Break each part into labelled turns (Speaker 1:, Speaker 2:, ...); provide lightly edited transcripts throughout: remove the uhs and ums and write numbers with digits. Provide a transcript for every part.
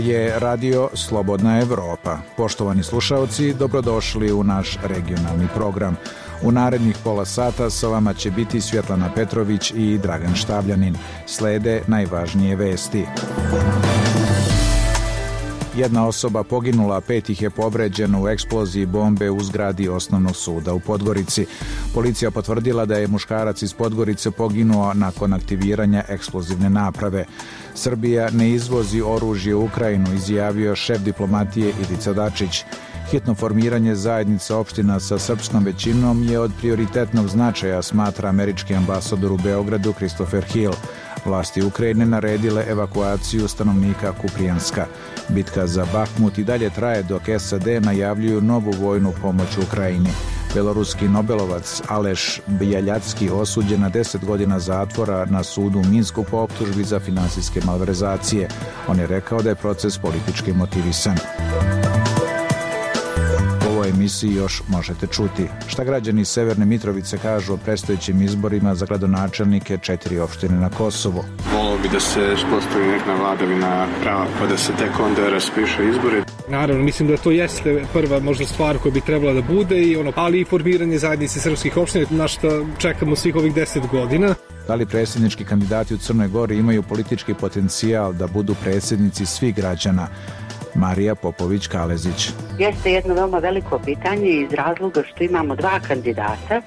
Speaker 1: je Radio Slobodna Evropa. Poštovani slušaoci, dobrodošli u naš regionalni program. U narednih pola sata sa vama će biti Svjetlana Petrović i Dragan Štavljanin. Slede najvažnije vesti. Jedna osoba poginula, 5 ih je povređeno u eksploziji bombe u zgradi Osnovnog suda u Podgorici. Policija potvrdila da je muškarac iz Podgorice poginuo nakon aktiviranja eksplozivne naprave. Srbija ne izvozi oružje u Ukrajinu, izjavio šef diplomatije Ivica Dačić. Hitno formiranje zajednica opština sa srpskom većinom je od prioritetnog značaja, smatra američki ambasador u Beogradu Christopher Hill. Vlasti Ukrajine naredile evakuaciju stanovnika Kuprijanska. Bitka za Bahmut i dalje traje dok SAD najavljuju novu vojnu pomoć Ukrajini. Beloruski nobelovac Aleš Bjeljacki osuđen na 10 godina zatvora na sudu u Minsku po optužbi za finansijske malverzacije. On je rekao da je proces politički motivisan. U ovoj emisiji još možete čuti šta građani Severne Mitrovice kažu o predstojećim izborima za gradonačelnike 4 opštine na Kosovu.
Speaker 2: Volio bi da se uspostavi neka vladavina prava pa da se tek onda raspiše izbori.
Speaker 3: Naravno, mislim da to jeste prva možda stvar koja bi trebala da bude, ali i formiranje zajednice srpskih opština, na što čekamo svih ovih 10 godina.
Speaker 1: Da li predsjednički kandidati u Crnoj Gori imaju politički potencijal da budu predsjednici svih građana? Marija Popović-Kalezić.
Speaker 4: Jeste jedno veoma veliko pitanje iz razloga što imamo dva kandidata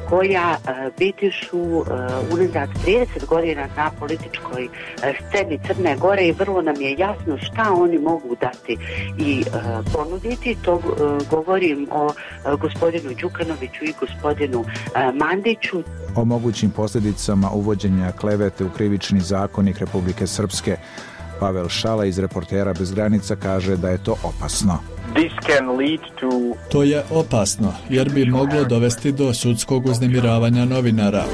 Speaker 4: koja biti su unazad 30 godina na političkoj sceni Crne Gore i vrlo nam je jasno šta oni mogu dati i ponuditi. To govorim o gospodinu Đukanoviću i gospodinu Mandiću.
Speaker 1: O mogućim posljedicama uvođenja klevete u krivični zakonik Republike Srpske. Pavel Šala iz Reportera bez granica kaže da je to opasno.
Speaker 5: To je opasno jer bi moglo dovesti do sudskog uznemiravanja novinara.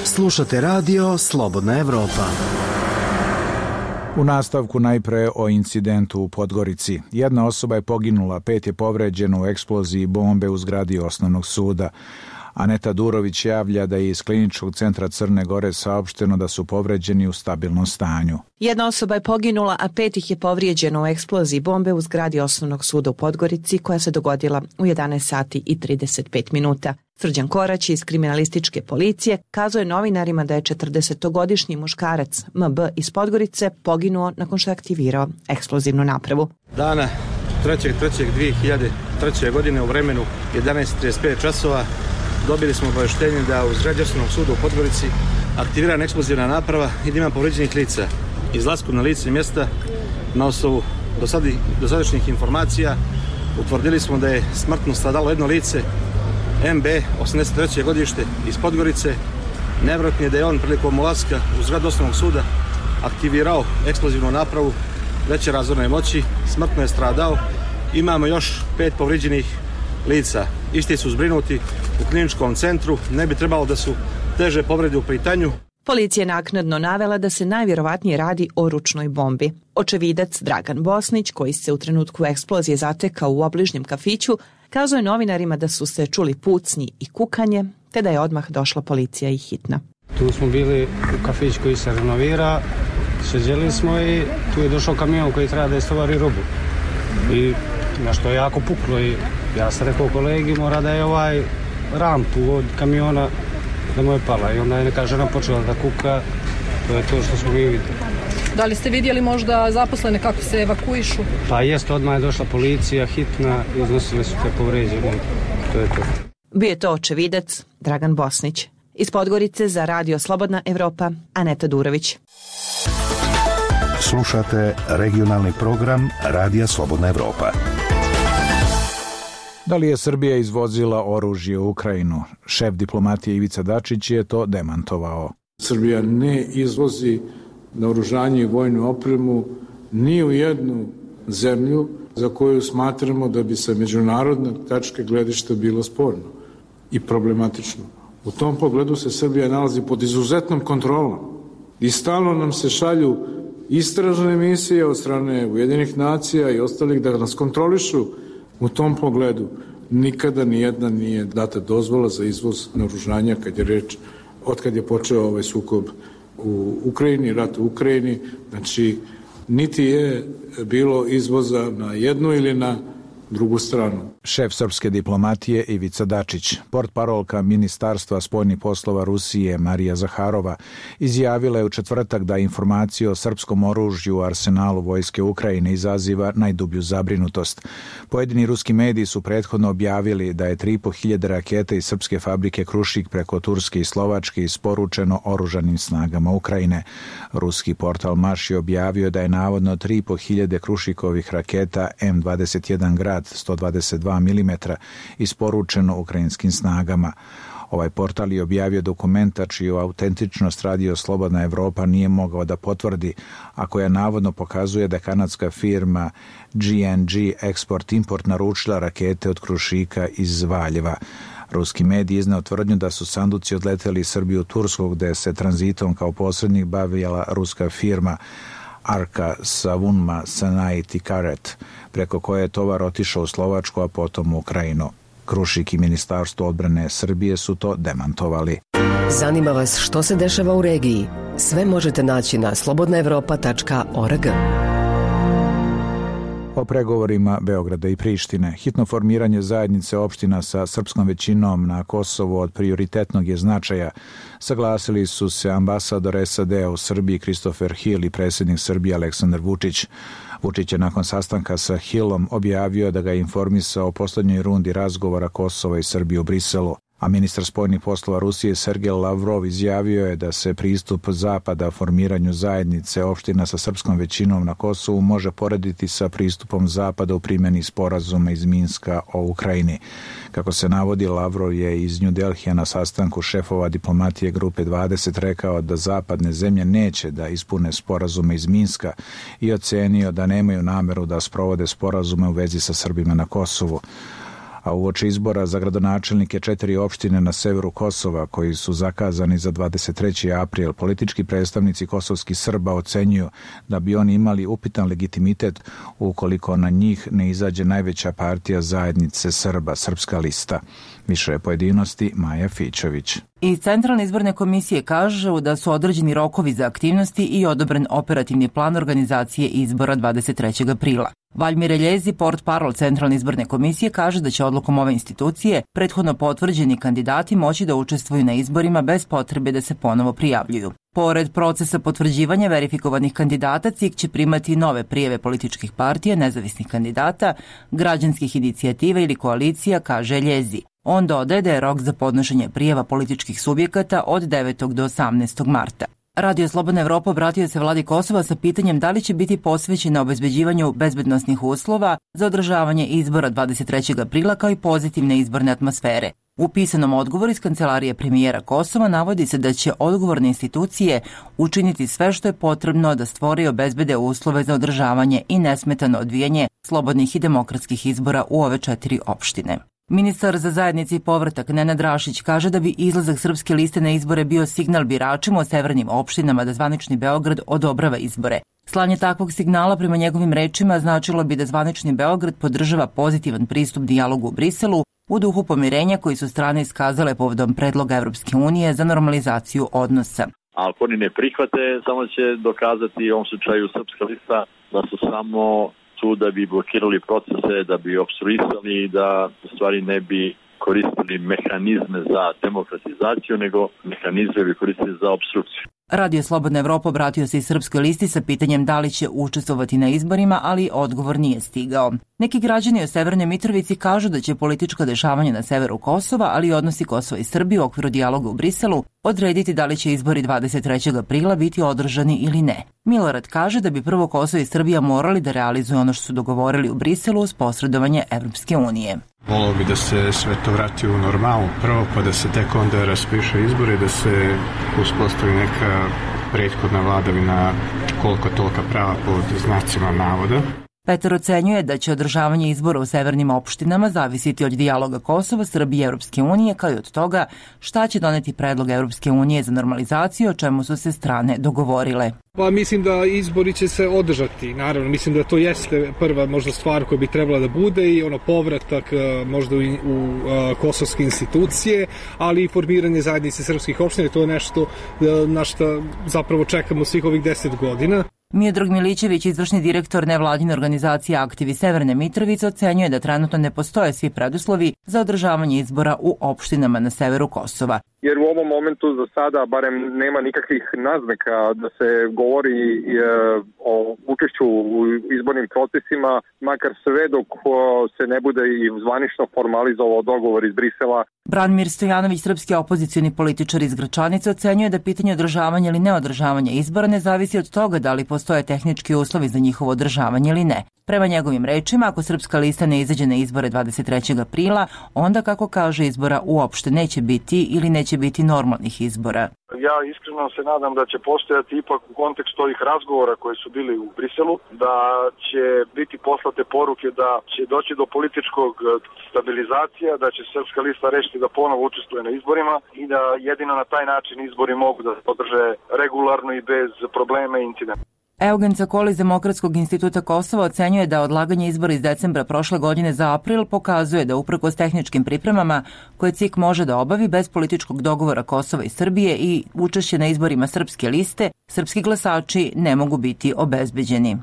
Speaker 6: Slušate radio Slobodna Evropa.
Speaker 1: U nastavku najpre o incidentu u Podgorici. Jedna osoba je poginula, 5 je povređeno u eksploziji bombe u zgradi Osnovnog suda. Aneta Durović javlja da je iz Kliničkog centra Crne Gore saopšteno da su povređeni u stabilnom stanju.
Speaker 7: Jedna osoba je poginula, a 5 ih je povrijeđeno u eksploziji bombe u zgradi Osnovnog suda u Podgorici koja se dogodila u 11 sati i 35 minuta. Srđan Korać iz kriminalističke policije kazao je novinarima da je 40-godišnji muškarac MB iz Podgorice poginuo nakon što je aktivirao eksplozivnu napravu.
Speaker 8: Dana 3.3.2003. godine u vremenu 11:35 časova dobili smo obavještenje da u zgradi Osnovnog suda u Podgorici aktivirana eksplozivna naprava i da ima povređenih lica. Izlaskom na lice mjesta na osnovu dosadašnjih informacija utvrdili smo da je smrtno stradalo jedno lice, MB, 83. godište iz Podgorice. Nevjerojatno je da je on prilikom ulaska u zgradu Osnovnog suda aktivirao eksplozivnu napravu veće razorne moći, smrtno je stradao. Imamo još 5 povrijeđenih lica. Isti su zbrinuti u kliničkom centru, ne bi trebalo da su teže povrede u pitanju.
Speaker 7: Policija je naknadno navela da se najvjerovatnije radi o ručnoj bombi. Očevidac Dragan Bosnić, koji se u trenutku eksplozije zatekao u obližnjem kafiću, kazao je novinarima da su se čuli pucnji i kukanje, te da je odmah došla policija i hitna.
Speaker 9: Tu smo bili u kafić koji se renovira, sjeđeli smo i tu je došao kamion koji treba da istovari robu. I nešto je jako puklo i ja sam rekao kolegi mora da je rampu od kamiona da mu je pala i onda je neka žena počela da kuka, to je to što smo mi vidjeli.
Speaker 10: Da li ste vidjeli možda zaposlene kako se evakuišu?
Speaker 9: Pa jest, odmah je došla policija, hitna, iznosili su te povređene, to je to.
Speaker 7: Bio je to očevidac Dragan Bosnić. Iz Podgorice za Radio Slobodna Evropa, Aneta Durović.
Speaker 6: Slušate regionalni program Radija Slobodna Evropa.
Speaker 1: Da li je Srbija izvozila oružje u Ukrajinu? Šef diplomatije Ivica Dačić je to demantovao.
Speaker 11: Srbija ne izvozi naoružanje i vojnu opremu ni u jednu zemlju za koju smatramo da bi sa međunarodne tačke gledišta bilo sporno i problematično. U tom pogledu se Srbija nalazi pod izuzetnom kontrolom i stalno nam se šalju istražne misije od strane Ujedinjenih nacija i ostalih da nas kontrolišu. U tom pogledu nikada nijedna nije data dozvola za izvoz naoružanja kad je reč, od kad je počeo ovaj sukob u Ukrajini, rat u Ukrajini. Znači, niti je bilo izvoza na jednu ili na drugu stranu.
Speaker 1: Šef srpske diplomatije Ivica Dačić, portparolka Ministarstva spoljnih poslova Rusije Marija Zaharova, izjavila je u četvrtak da informacija o srpskom oružju u arsenalu vojske Ukrajine izaziva najdublju zabrinutost. Pojedini ruski mediji su prethodno objavili da je 3.500 raketa iz srpske fabrike Krušik preko Turske i Slovačke isporučeno oružanim snagama Ukrajine. Ruski portal Maš je objavio da je navodno 3.500 Krušikovih raketa M21 Grad 122 mm isporučeno ukrajinskim snagama. Ovaj portal je objavio dokumenta čiju autentičnost Radio Slobodna Evropa nije mogao da potvrdi, a koja navodno pokazuje da kanadska firma GNG Export Import naručila rakete od Krušika iz Valjeva. Ruski medij izneo tvrdnju da su sanduci odleteli iz Srbije u Tursku, gde se tranzitom kao posrednik bavila ruska firma Arka Savunma Sanai Tikaret, preko koje je tovar otišao u Slovačku, a potom u Ukrajinu. Krušik i Ministarstvo odbrane Srbije su to demantovali.
Speaker 12: Zanima vas što se dešava u regiji? Sve možete naći na slobodnaevropa.org.
Speaker 1: O pregovorima Beograda i Prištine. Hitno formiranje zajednice opština sa srpskom većinom na Kosovu od prioritetnog je značaja. Saglasili su se ambasador SAD-a u Srbiji Christopher Hill i predsjednik Srbije Aleksandar Vučić. Vučić je nakon sastanka sa Hillom objavio da ga je informisao o posljednjoj rundi razgovora Kosova i Srbije u Briselu. A ministar spoljnih poslova Rusije Sergej Lavrov izjavio je da se pristup Zapada formiranju zajednice opština sa srpskom većinom na Kosovu može porediti sa pristupom Zapada u primjeni sporazuma iz Minska o Ukrajini. Kako se navodi, Lavrov je iz New Delhija na sastanku šefova diplomatije Grupe 20 rekao da zapadne zemlje neće da ispune sporazume iz Minska i ocenio da nemaju nameru da sprovode sporazume u vezi sa Srbima na Kosovu. A uoči izbora za gradonačelnike 4 opštine na severu Kosova, koji su zakazani za 23. april, politički predstavnici kosovskih Srba ocenjuju da bi oni imali upitan legitimitet ukoliko na njih ne izađe najveća partija zajednice Srba, Srpska lista. Više pojedinosti Maja Fićović.
Speaker 13: Iz Centralne izborne komisije kažu da su određeni rokovi za aktivnosti i odobren operativni plan organizacije izbora 23. aprila. Valjmir Eljezi, portparol Centralne izborne komisije, kaže da će odlukom ove institucije prethodno potvrđeni kandidati moći da učestvuju na izborima bez potrebe da se ponovo prijavljuju. Pored procesa potvrđivanja verifikovanih kandidata, CIK će primati nove prijeve političkih partija, nezavisnih kandidata, građanskih inicijativa ili koalicija, kaže Eljezi. On dodaje da je rok za podnošenje prijeva političkih subjekata od 9. do 18. marta. Radio Slobodna Evropa obratio se vladi Kosova sa pitanjem da li će biti posvećena obezbeđivanju bezbednosnih uslova za održavanje izbora 23. aprila kao i pozitivne izborne atmosfere. U pisanom odgovoru iz kancelarije premijera Kosova navodi se da će odgovorne institucije učiniti sve što je potrebno da stvore i obezbede uslove za održavanje i nesmetano odvijanje slobodnih i demokratskih izbora u ove 4 opštine. Ministar za zajednici i povratak Nenad Rašić kaže da bi izlazak Srpske liste na izbore bio signal biračima o severnim opštinama da zvanični Beograd odobrava izbore. Slanje takvog signala prema njegovim rečima značilo bi da zvanični Beograd podržava pozitivan pristup dijalogu u Briselu u duhu pomirenja koji su strane iskazale povodom predloga Evropske unije za normalizaciju odnosa.
Speaker 14: Ako oni ne prihvate, samo će dokazati u ovom slučaju Srpska lista da su samo tu da bi blokirali procese, da bi opstruisali i da u stvari ne bi koristili mehanizme za demokratizaciju, nego mehanizme bi koristili za opstrukciju.
Speaker 13: Radio Slobodna Evropa obratio se i Srpskoj listi sa pitanjem da li će učestvovati na izborima, ali odgovor nije stigao. Neki građani o Severnoj Mitrovici kažu da će politička dešavanja na severu Kosova, ali i odnosi Kosova i Srbije u okviru dijaloga u Briselu odrediti da li će izbori 23. aprila biti održani ili ne. Milorad kaže da bi prvo Kosovo i Srbija morali da realizuju ono što su dogovorili u Briselu uz posredovanje Evropske unije.
Speaker 2: Volio bi da se sve to vrati u normalu prvo, pa da se tek onda raspiše izbori, da se uspostavi neka prethodna vladavina koliko tolika prava pod znacima navoda.
Speaker 13: Petar ocenjuje da će održavanje izbora u severnim opštinama zavisiti od dijaloga Kosova, Srbije i Evropske unije, kao i od toga šta će doneti predlog Evropske unije za normalizaciju, o čemu su se strane dogovorile.
Speaker 3: Pa mislim da izbori će se održati, naravno, mislim da to jeste prva možda stvar koja bi trebala da bude i povratak možda u kosovske institucije, ali i formiranje zajednice srpskih opština, to je nešto na što zapravo čekamo svih ovih 10 godina.
Speaker 13: Miodrag Milićević, izvršni direktor nevladine organizacije Aktivi Severne Mitrovice, ocenjuje da trenutno ne postoje svi preduslovi za održavanje izbora u opštinama na severu Kosova.
Speaker 15: Jer u ovom momentu za sada barem nema nikakvih naznaka da se govori o učešću u izbornim procesima, makar sve dok se ne bude i zvanično formalizovao dogovor iz Brisela.
Speaker 13: Branimir Stojanović, srpski opozicioni političar iz Gračanice, ocenjuje da pitanje održavanja ili neodržavanja izbora ne zavisi od toga da li postoje tehnički uslovi za njihovo održavanje ili ne. Prema njegovim rečima, ako Srpska lista ne izađe na izbore 23. aprila, onda, kako kaže, izbora uopšte neće biti ili neće biti normalnih izbora.
Speaker 16: Ja iskreno se nadam da će postojati ipak u kontekstu ovih razgovora koji su bili u Briselu, da će biti poslate poruke da će doći do političkog stabilizacija, da će Srpska lista rešiti da ponovo učestvuje na izborima i da jedino na taj način izbori mogu da se održe regularno i bez problema i incidenta.
Speaker 13: Eugen Cakoli iz Demokratskog instituta Kosova ocenjuje da odlaganje izbora iz decembra prošle godine za april pokazuje da uprkos tehničkim pripremama koje CIK može da obavi bez političkog dogovora Kosova i Srbije i učešće na izborima Srpske liste, srpski glasači ne mogu biti obezbeđeni.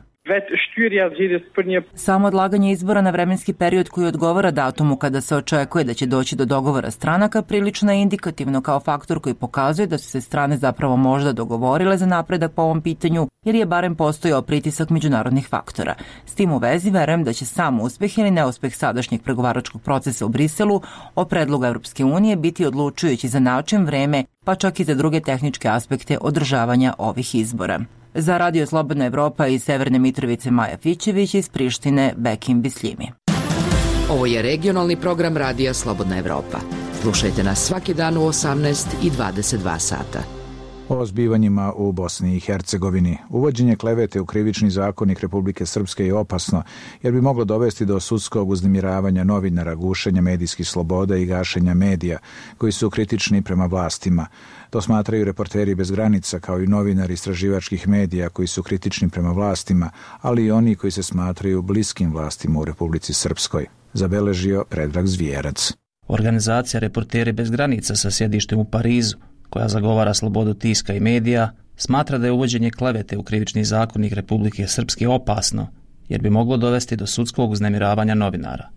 Speaker 13: Samo odlaganje izbora na vremenski period koji odgovara datumu kada se očekuje da će doći do dogovora stranaka prilično je indikativno kao faktor koji pokazuje da su se strane zapravo možda dogovorile za napredak po ovom pitanju, jer je barem postojao pritisak međunarodnih faktora. S tim u vezi verujem da će sam uspeh ili neuspeh sadašnjeg pregovaračkog procesa u Briselu o predlogu Evropske unije biti odlučujući za način, vreme, pa čak i za druge tehničke aspekte održavanja ovih izbora. Za Radio Slobodna Evropa iz Severne Mitrovice Maja Fićević, iz Prištine Bekim Bisljimi.
Speaker 17: Ovo je regionalni program Radija Slobodna Evropa. Slušajte nas svaki dan u 18 i 22 sata.
Speaker 1: O zbivanjima u Bosni i Hercegovini. Uvođenje klevete u krivični zakonik Republike Srpske je opasno, jer bi moglo dovesti do sudskog uznemiravanja novinara, gušenja medijskih sloboda i gašenja medija koji su kritični prema vlastima. To smatraju Reporteri bez granica, kao i novinari istraživačkih medija koji su kritični prema vlastima, ali i oni koji se smatraju bliskim vlastima u Republici Srpskoj, zabeležio Predrag Zvijerac.
Speaker 18: Organizacija Reporteri bez granica sa sjedištem u Parizu, koja zagovara slobodu tiska i medija, smatra da je uvođenje klevete u krivični zakonik Republike Srpske opasno, jer bi moglo dovesti do sudskog uznemiravanja novinara.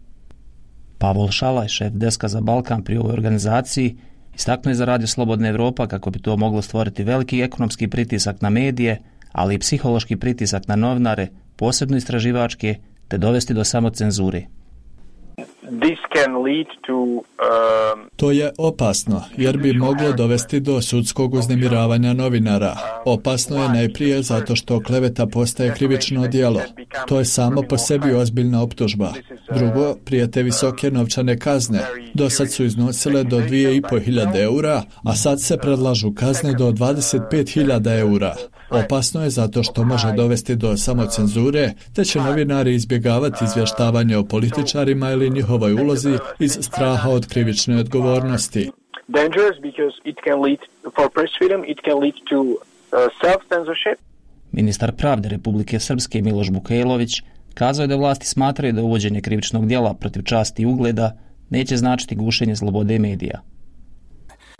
Speaker 18: Pavol Šalaj, šef deska za Balkan pri ovoj organizaciji, istaknuo je za Radio Slobodna Evropa kako bi to moglo stvoriti veliki ekonomski pritisak na medije, ali i psihološki pritisak na novinare, posebno istraživačke, te dovesti do samocenzure.
Speaker 5: To je opasno, jer bi moglo dovesti do sudskog uznemiravanja novinara. Opasno je najprije zato što kleveta postaje krivično djelo. To je samo po sebi ozbiljna optužba. Drugo, prijete visoke novčane kazne. Do sad su iznosile do 2.500 eura, a sad se predlažu kazne do 25.000 eura. Opasno je zato što može dovesti do samocenzure, te će novinari izbjegavati izvještavanje o političarima ili njihovoj ulozi iz straha od krivične odgovornosti.
Speaker 18: Ministar pravde Republike Srpske Miloš Bukajlović kazao je da vlasti smatraju da uvođenje krivičnog djela protiv časti i ugleda neće značiti gušenje slobode medija.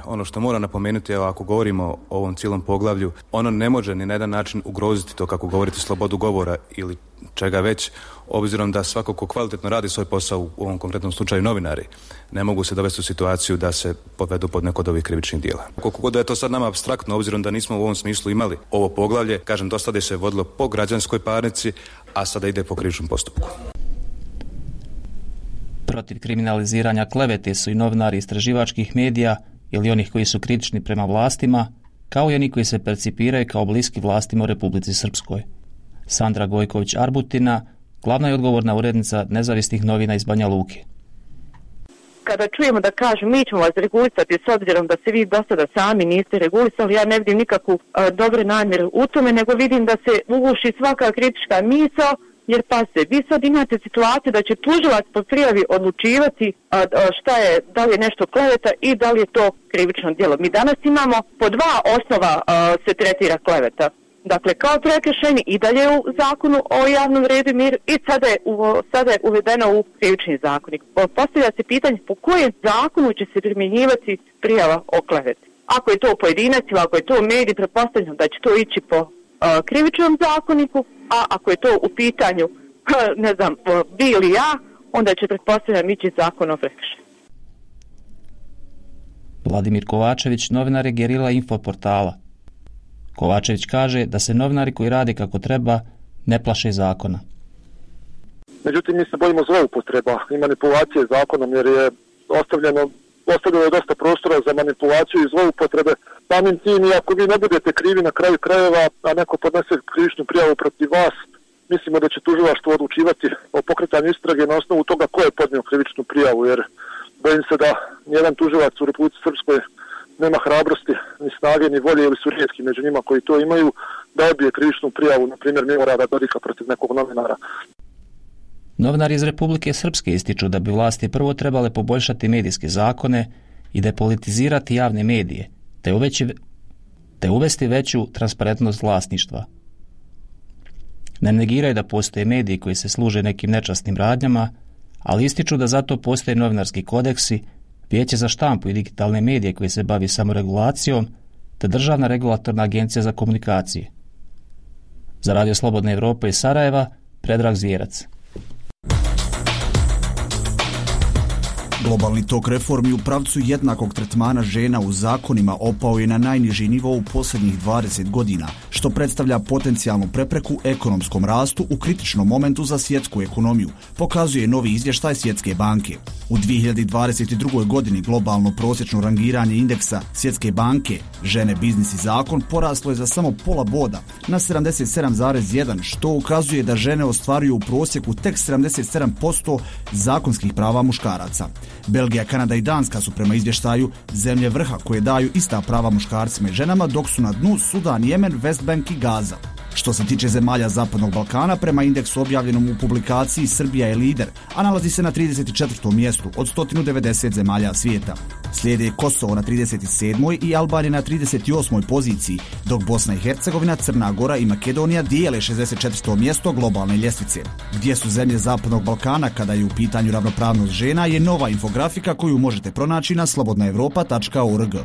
Speaker 19: Ono što moram napomenuti, evo, ako govorimo o ovom cijelom poglavlju, ono ne može ni na jedan način ugroziti to, kako govorite, slobodu govora ili čega već, obzirom da svako ko kvalitetno radi svoj posao, u ovom konkretnom slučaju novinari, ne mogu se dovesti u situaciju da se podvedu pod neko od ovih krivičnih djela. Koliko god da je to sad nama apstraktno, obzirom da nismo u ovom smislu imali ovo poglavlje, kažem, do sada se vodilo po građanskoj parnici, a sada ide po krivičnom postupku.
Speaker 18: Protiv kriminaliziranja klevete su i novinari istraživačkih medija ili onih koji su kritični prema vlastima, kao i oni koji se percipiraju kao bliski vlastima u Republici Srpskoj. Sandra Gojković-Arbutina, glavna i odgovorna urednica nezavisnih novina iz Banja Luke.
Speaker 20: Kada čujemo da kažu mi ćemo vas regulisati s obzirom da se vi do sada sami niste regulisali, ja ne vidim nikakvu dobre namjeru u tome, nego vidim da se uguši svaka kritička misao, jer vi sad imate situaciju da će tužilac po prijavi odlučivati šta je, da li je nešto kleveta i da li je to krivično djelo. Mi danas imamo po dva osnova se tretira kleveta. Dakle, kao prekršajni i dalje u zakonu o javnom redu i miru i sada je uvedeno u krivični zakonik. Postavlja se pitanje po kojem zakonu će se primjenjivati prijava o kleveti. Ako je to pojedinac ili ako je to medij, pretpostavljam da će to ići po krivičnom zakoniku, a ako je to u pitanju, ne znam, vi ili ja, onda će pretpostavljam ići zakon o prekršaju.
Speaker 18: Vladimir Kovačević, novinar je Gerila Info portala. Kovačević kaže da se novinari koji rade kako treba ne plaše zakona.
Speaker 15: Međutim, mi se bojimo zloupotreba i manipulacije zakonom, jer je ostavljeno dosta prostora za manipulaciju i zloupotrebe. Samim tim, i ako vi ne budete krivi na kraju krajeva, a neko podnese krivičnu prijavu protiv vas, mislimo da će tužilaštvo odlučivati o pokretanju istrage na osnovu toga ko je podnio krivičnu prijavu, jer bojim se da nijedan tužilac u Republici Srpskoj nema hrabrosti, ni snage, ni volje, ili su rijetki među njima koji to imaju, da odbije krivičnu prijavu, na primjer Milorada Dodika protiv nekog novinara.
Speaker 18: Novinari iz Republike Srpske ističu da bi vlasti prvo trebale poboljšati medijske zakone i depolitizirati javne medije, te uvesti veću transparentnost vlasništva. Ne negiraju da postoje mediji koji se služe nekim nečasnim radnjama, ali ističu da zato postoje novinarski kodeksi, Vijeće za štampu i digitalne medije koje se bavi samoregulacijom, te Državna regulatorna agencija za komunikacije. Za Radio Slobodna Evropa iz Sarajeva, Predrag Zvjerac.
Speaker 21: Globalni tok reformi u pravcu jednakog tretmana žena u zakonima opao je na najniži nivo u posljednjih 20 godina, što predstavlja potencijalnu prepreku ekonomskom rastu u kritičnom momentu za svjetsku ekonomiju, pokazuje novi izvještaj Svjetske banke. U 2022. godini globalno prosječno rangiranje indeksa Svjetske banke žene, biznis i zakon poraslo je za samo pola boda na 77,1, što ukazuje da žene ostvaruju u prosjeku tek 77% zakonskih prava muškaraca. Belgija, Kanada i Danska su prema izvještaju zemlje vrha koje daju ista prava muškarcima i ženama, dok su na dnu Sudan, Jemen, Westbank i Gaza. Što se tiče zemalja Zapadnog Balkana, prema indeksu objavljenom u publikaciji Srbija je lider, a nalazi se na 34. mjestu od 190 zemalja svijeta. Slijede Kosovo na 37. i Albanija na 38. poziciji, dok Bosna i Hercegovina, Crna Gora i Makedonija dijele 64. mjesto globalne ljestvice. Gdje su zemlje Zapadnog Balkana kada je u pitanju ravnopravnost žena je nova infografika koju možete pronaći na slobodnaevropa.org.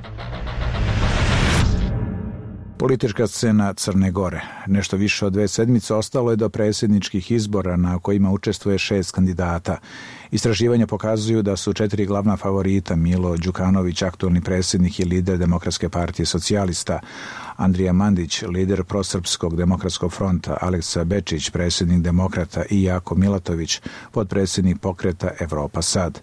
Speaker 1: Politička scena Crne Gore. Nešto više od 2 sedmice ostalo je do predsjedničkih izbora na kojima učestvuje 6 kandidata. Istraživanja pokazuju da su 4 glavna favorita: Milo Đukanović, aktualni predsjednik i lider Demokratske partije socijalista, Andrija Mandić, lider Prosrpskog demokratskog fronta, Aleksa Bečić, predsjednik Demokrata i Jako Milatović, potpredsjednik pokreta Evropa Sad.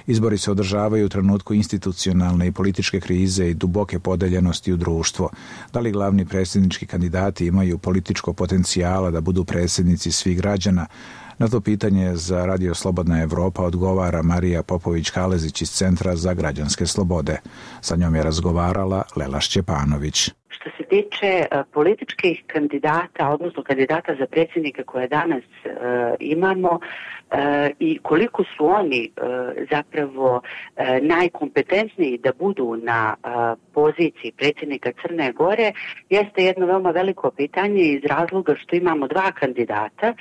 Speaker 1: Izbori se održavaju u trenutku institucionalne i političke krize i duboke podeljenosti u društvo. Da li glavni predsjednički kandidati imaju političko potencijala da budu predsjednici svih građana? Na to pitanje za Radio Slobodna Evropa odgovara Marija Popović-Kalezić iz Centra za građanske slobode. Sa njom je razgovarala Lela Šćepanović.
Speaker 4: Što se tiče političkih kandidata, odnosno kandidata za predsjednika koje danas imamo i koliko su oni zapravo najkompetentniji da budu na poziciji predsjednika Crne Gore, jeste jedno veoma veliko pitanje iz razloga što imamo 2 kandidata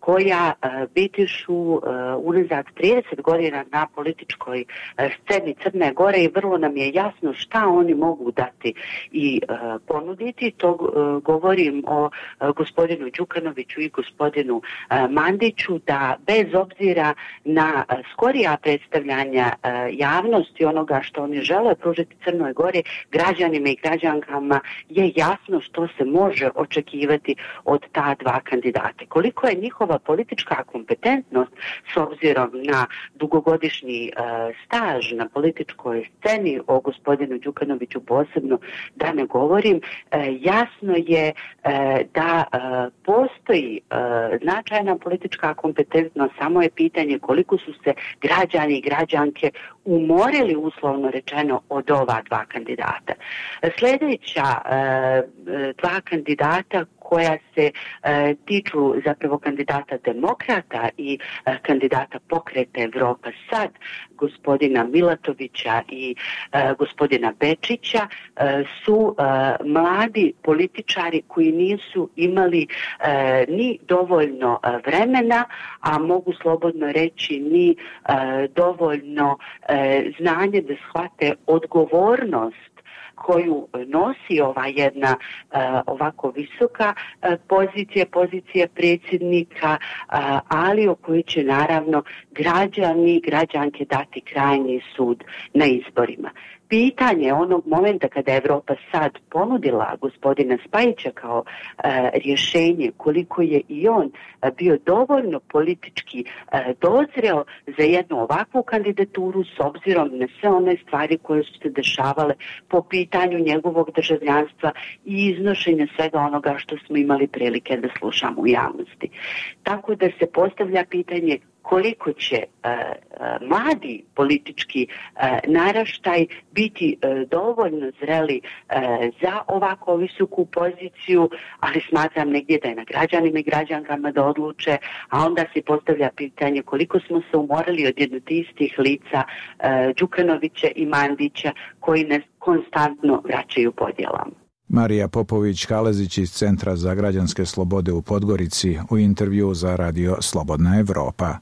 Speaker 4: koja bitišu unazad 30 godina na političkoj sceni Crne Gore i vrlo nam je jasno šta oni mogu dati i ponuditi. To govorim o gospodinu Đukanoviću i gospodinu Mandiću, da bez obzira na skorija predstavljanja javnosti onoga što oni žele pružiti Crnoj Gori, građanima i građankama je jasno što se može očekivati od ta 2 kandidata. Koliko je njihova politička kompetentnost s obzirom na dugogodišnji staž na političkoj sceni, o gospodinu Đukanoviću posebno da ne govorim, jasno je da postoji značajna politička kompetentnost, samo je pitanje koliko su se građani i građanke umorili, uslovno rečeno, od ova 2 kandidata. Sljedeća 2 kandidata koja se tiču zapravo kandidata Demokrata i kandidata pokreta Evropa Sad, gospodina Milatovića i gospodina Bečića su mladi političari koji nisu imali ni dovoljno vremena, a mogu slobodno reći ni dovoljno znanje da shvate odgovornost koju nosi ova jedna ovako visoka pozicija predsjednika, ali o kojoj će naravno građani i građanke dati krajnji sud na izborima. Pitanje onog momenta kada je Evropa sad ponudila gospodina Spajića kao rješenje, koliko je i on bio dovoljno politički dozreo za jednu ovakvu kandidaturu s obzirom na sve one stvari koje su se dešavale po pitanju njegovog državljanstva i iznošenja svega onoga što smo imali prilike da slušamo u javnosti. Tako da se postavlja pitanje koliko će mladi politički naraštaj biti dovoljno zreli za ovako visoku poziciju, ali smatram negdje da je na građanima i građankama da odluče, a onda se postavlja pitanje koliko smo se umorali od jednog istih lica Đukanovića i Mandića koji nas konstantno vraćaju podjelama.
Speaker 1: Marija Popović-Kalezić iz Centra za građanske slobode u Podgorici u intervju za radio Slobodna Evropa.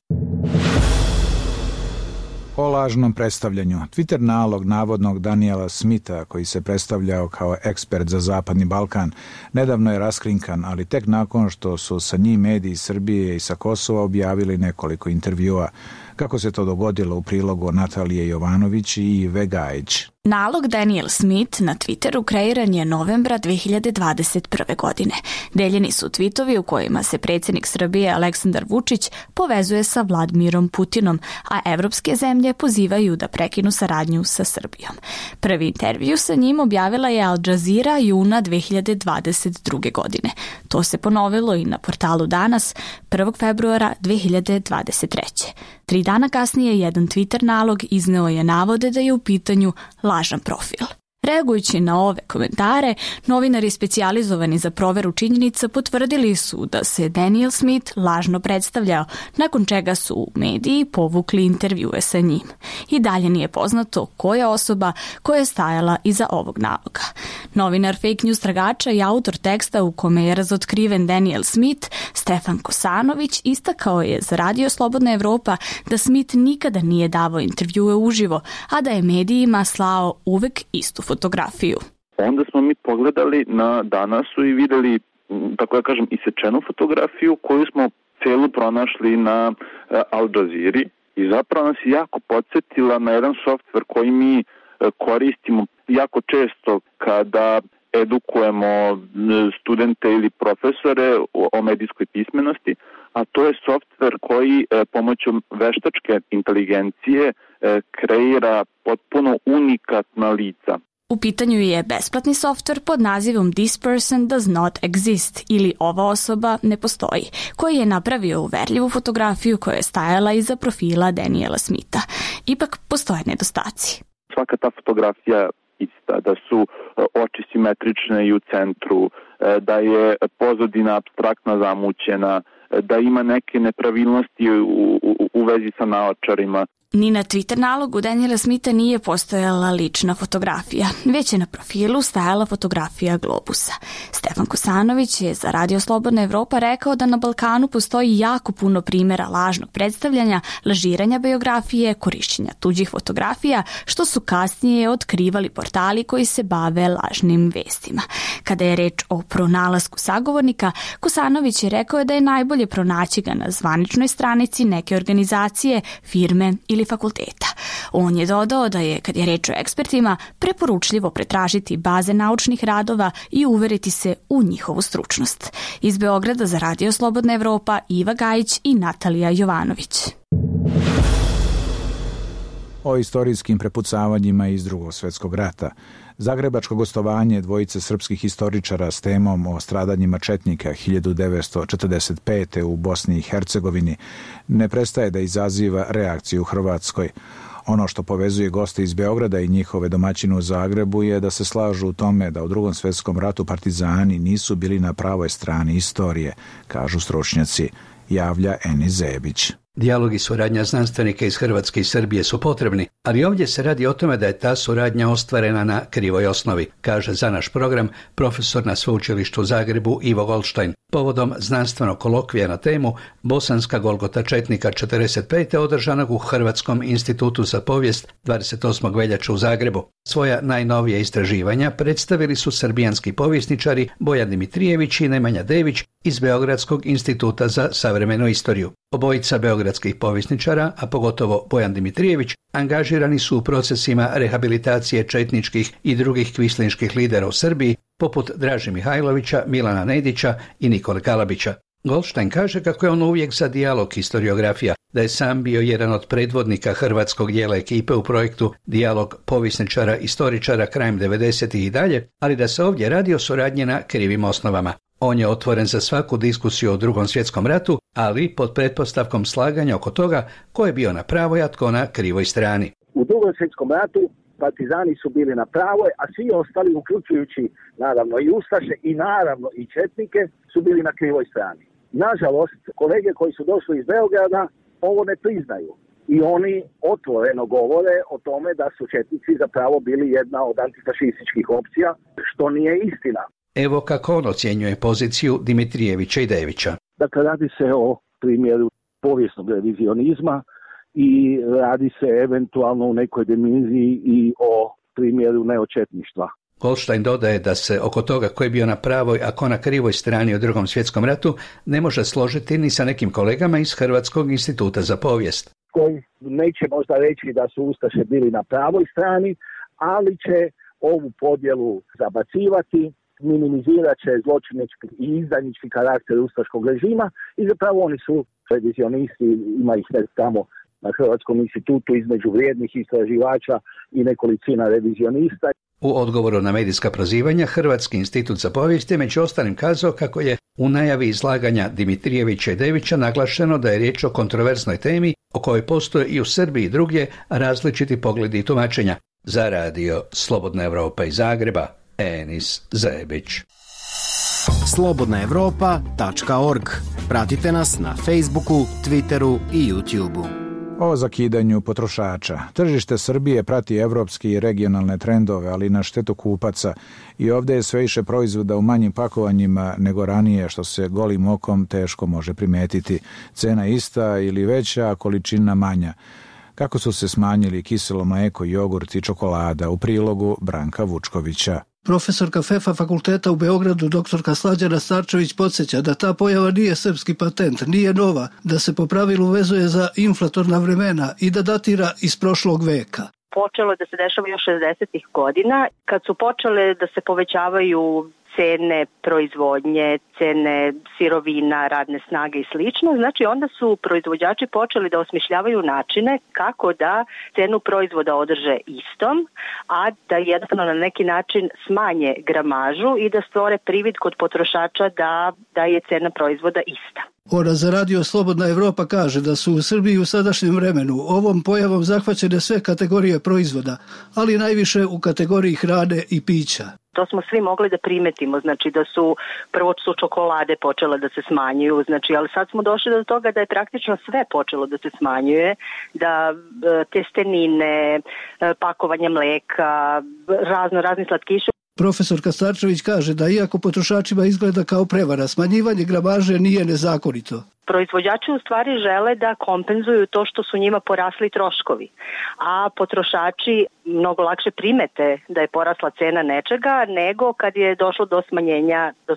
Speaker 1: O lažnom predstavljanju. Twitter nalog navodnog Daniela Smitha, koji se predstavljao kao ekspert za Zapadni Balkan, nedavno je raskrinkan, ali tek nakon što su sa njim mediji Srbije i sa Kosova objavili nekoliko intervjua. Kako se to dogodilo u prilogu Natalije Jovanović i Ive Gajić.
Speaker 8: Nalog Daniel Smith na Twitteru kreiran je novembra 2021. godine. Deljeni su tvitovi u kojima se predsjednik Srbije Aleksandar Vučić povezuje sa Vladimirom Putinom, a evropske zemlje pozivaju da prekinu saradnju sa Srbijom. Prvi intervju sa njim objavila je Al Jazeera juna 2022. godine. To se ponovilo i na portalu Danas 1. februara 2023. 3 dana kasnije jedan Twitter nalog izneo je navode da je u pitanju lažan profil. Reagujući na ove komentare, novinari specijalizovani za proveru činjenica potvrdili su da se Daniel Smith lažno predstavljao, nakon čega su mediji povukli intervjue sa njim. I dalje nije poznato koja je osoba koja je stajala iza ovog naloga. Novinar fake news tragača i autor teksta u kome je razotkriven Daniel Smith, Stefan Kosanović, istakao je za radio Slobodna Evropa da Smith nikada nije davao intervjue uživo, a da je medijima slao uvek istu fotografiju.
Speaker 22: Onda smo mi pogledali na Danasu i videli, tako da kažem, isečenu fotografiju koju smo celu pronašli na Al Jazeera i zapravo nas je jako podsjetila na jedan softver koji mi koristimo jako često kada edukujemo studente ili profesore o medijskoj pismenosti, a to je softver koji pomoću veštačke inteligencije kreira potpuno unikatna lica.
Speaker 8: U pitanju je besplatni softver pod nazivom This person does not exist ili ova osoba ne postoji, koji je napravio uverljivu fotografiju koja je stajala iza profila Daniela Smitha. Ipak postoje nedostaci.
Speaker 22: Svaka ta fotografija ista, da su oči simetrične i u centru, da je pozadina apstraktna zamućena, da ima neke nepravilnosti u vezi sa naočarima.
Speaker 8: Ni na Twitter nalogu Daniela Smitha nije postojala lična fotografija, već je na profilu stajala fotografija globusa. Stefan Kosanović je za Radio Slobodna Evropa rekao da na Balkanu postoji jako puno primjera lažnog predstavljanja, lažiranja biografije, korišćenja tuđih fotografija, što su kasnije otkrivali portali koji se bave lažnim vestima. Kada je reč o pronalasku sagovornika, Kosanović je rekao da je najbolje pronaći ga na zvaničnoj stranici neke organizacije, firme ili fakulteta. On je dodao da je, kad je reč o ekspertima, preporučljivo pretražiti baze naučnih radova i uveriti se u njihovu stručnost. Iz Beograda za Radio Slobodna Evropa Iva Gajić i Natalija Jovanović.
Speaker 1: O istorijskim prepucavanjima iz Drugog svjetskog rata. Zagrebačko gostovanje dvojice srpskih historičara s temom o stradanjima četnika 1945. u Bosni i Hercegovini ne prestaje da izaziva reakciju u Hrvatskoj. Ono što povezuje goste iz Beograda i njihove domaćine u Zagrebu je da se slažu u tome da u Drugom svjetskom ratu partizani nisu bili na pravoj strani istorije, kažu stručnjaci, javlja Eni Zebić.
Speaker 9: Dijalog i suradnja znanstvenika iz Hrvatske i Srbije su potrebni, ali ovdje se radi o tome da je ta suradnja ostvarena na krivoj osnovi, kaže za naš program profesor na Sveučilištu u Zagrebu Ivo Goldstein, povodom znanstvenog kolokvija na temu Bosanska Golgota četnika 45. održanog u Hrvatskom institutu za povijest 28. veljače u Zagrebu. Svoja najnovija istraživanja predstavili su srbijanski povjesničari Bojan Dimitrijević i Nemanja Dević iz Beogradskog instituta za savremenu istoriju. Obojica beogradskih povjesničara, a pogotovo Bojan Dimitrijević, angažirani su u procesima rehabilitacije četničkih i drugih kvislinških lidera u Srbiji, poput Draže Mihajlovića, Milana Nedića i Nikole Kalabića. Goldstein kaže kako je on uvijek za dijalog historiografija, da je sam bio jedan od predvodnika hrvatskog dijela ekipe u projektu Dijalog povjesničara istoričara krajem 90-ih i dalje, ali da se ovdje radi o suradnji na krivim osnovama. On je otvoren za svaku diskusiju o Drugom svjetskom ratu, ali pod pretpostavkom slaganja oko toga ko je bio na pravoj, a tko na krivoj strani.
Speaker 10: U Drugom svjetskom ratu partizani su bili na pravoj, a svi ostali, uključujući naravno i ustaše i naravno i četnike, su bili na krivoj strani. Nažalost, kolege koji su došli iz Beograda ovo ne priznaju i oni otvoreno govore o tome da su četnici zapravo bili jedna od antifašističkih opcija, što nije istina.
Speaker 9: Evo kako on ocjenjuje poziciju Dimitrijevića i Devića.
Speaker 10: Dakle, radi se o primjeru povijesnog revizionizma i radi se eventualno u nekoj dimenziji i o primjeru neočetništva.
Speaker 9: Goldstein dodaje da se oko toga ko je bio na pravoj, a ko na krivoj strani u Drugom svjetskom ratu ne može složiti ni sa nekim kolegama iz Hrvatskog instituta za povijest.
Speaker 10: Koji neće možda reći da su ustaše bili na pravoj strani, ali će ovu podjelu zabacivati, minimizirat će zločinički i izdajnički karakter ustaškog režima i zapravo oni su revizionisti, ima ih tamo na Hrvatskom institutu između vrijednih istraživača i nekolicina revizionista.
Speaker 9: U odgovoru na medijska prozivanja Hrvatski institut za povijest je među ostalim kazao kako je u najavi izlaganja Dimitrijevića i Devića naglašeno da je riječ o kontroverznoj temi o kojoj postoje i u Srbiji i drugdje različiti pogledi i tumačenja. Za radio Slobodna Evropa iz Zagreba, Enis Zebić.
Speaker 23: slobodnaevropa.org. Pratite nas na Facebooku, Twitteru i YouTubeu.
Speaker 1: O zakidanju potrošača. Tržište Srbije prati evropske i regionalne trendove, ali na štetu kupaca. I ovdje je sve više proizvoda u manjim pakovanjima nego ranije, što se golim okom teško može primetiti. Cena ista ili veća, a količina manja. Kako su se smanjili kiselo mlijeko, jogurt i čokolada, u prilogu Branka Vučkovića.
Speaker 24: Profesorka FEFA fakulteta u Beogradu, doktorka Slađana Starčević, podsjeća da ta pojava nije srpski patent, nije nova, da se po pravilu vezuje za inflatorna vremena i da datira iz prošlog veka.
Speaker 25: Počelo je da se dešava još 60-ih godina, kad su počele da se povećavaju cene proizvodnje, cene sirovina, radne snage i slično. Znači onda su proizvođači počeli da osmišljavaju načine kako da cenu proizvoda održe istom, a da jednostavno na neki način smanje gramažu i da stvore privid kod potrošača da je cena proizvoda ista.
Speaker 24: Ona za radio Slobodna Evropa kaže da su u Srbiji u sadašnjem vremenu ovom pojavom zahvaćene sve kategorije proizvoda, ali najviše u kategoriji hrane i pića.
Speaker 25: To smo svi mogli da primetimo, znači da su prvo su čokolade počele da se smanjuju, znači, ali sad smo došli do toga da je praktično sve počelo da se smanjuje, da testenine, pakovanje mleka, razni slatkiši.
Speaker 24: Profesorka Starčević kaže da iako potrošačima izgleda kao prevara, smanjivanje gramaže nije nezakonito.
Speaker 25: Proizvođači u stvari žele da kompenzuju to što su njima porasli troškovi, a potrošači mnogo lakše primete da je porasla cena nečega nego kad je došlo do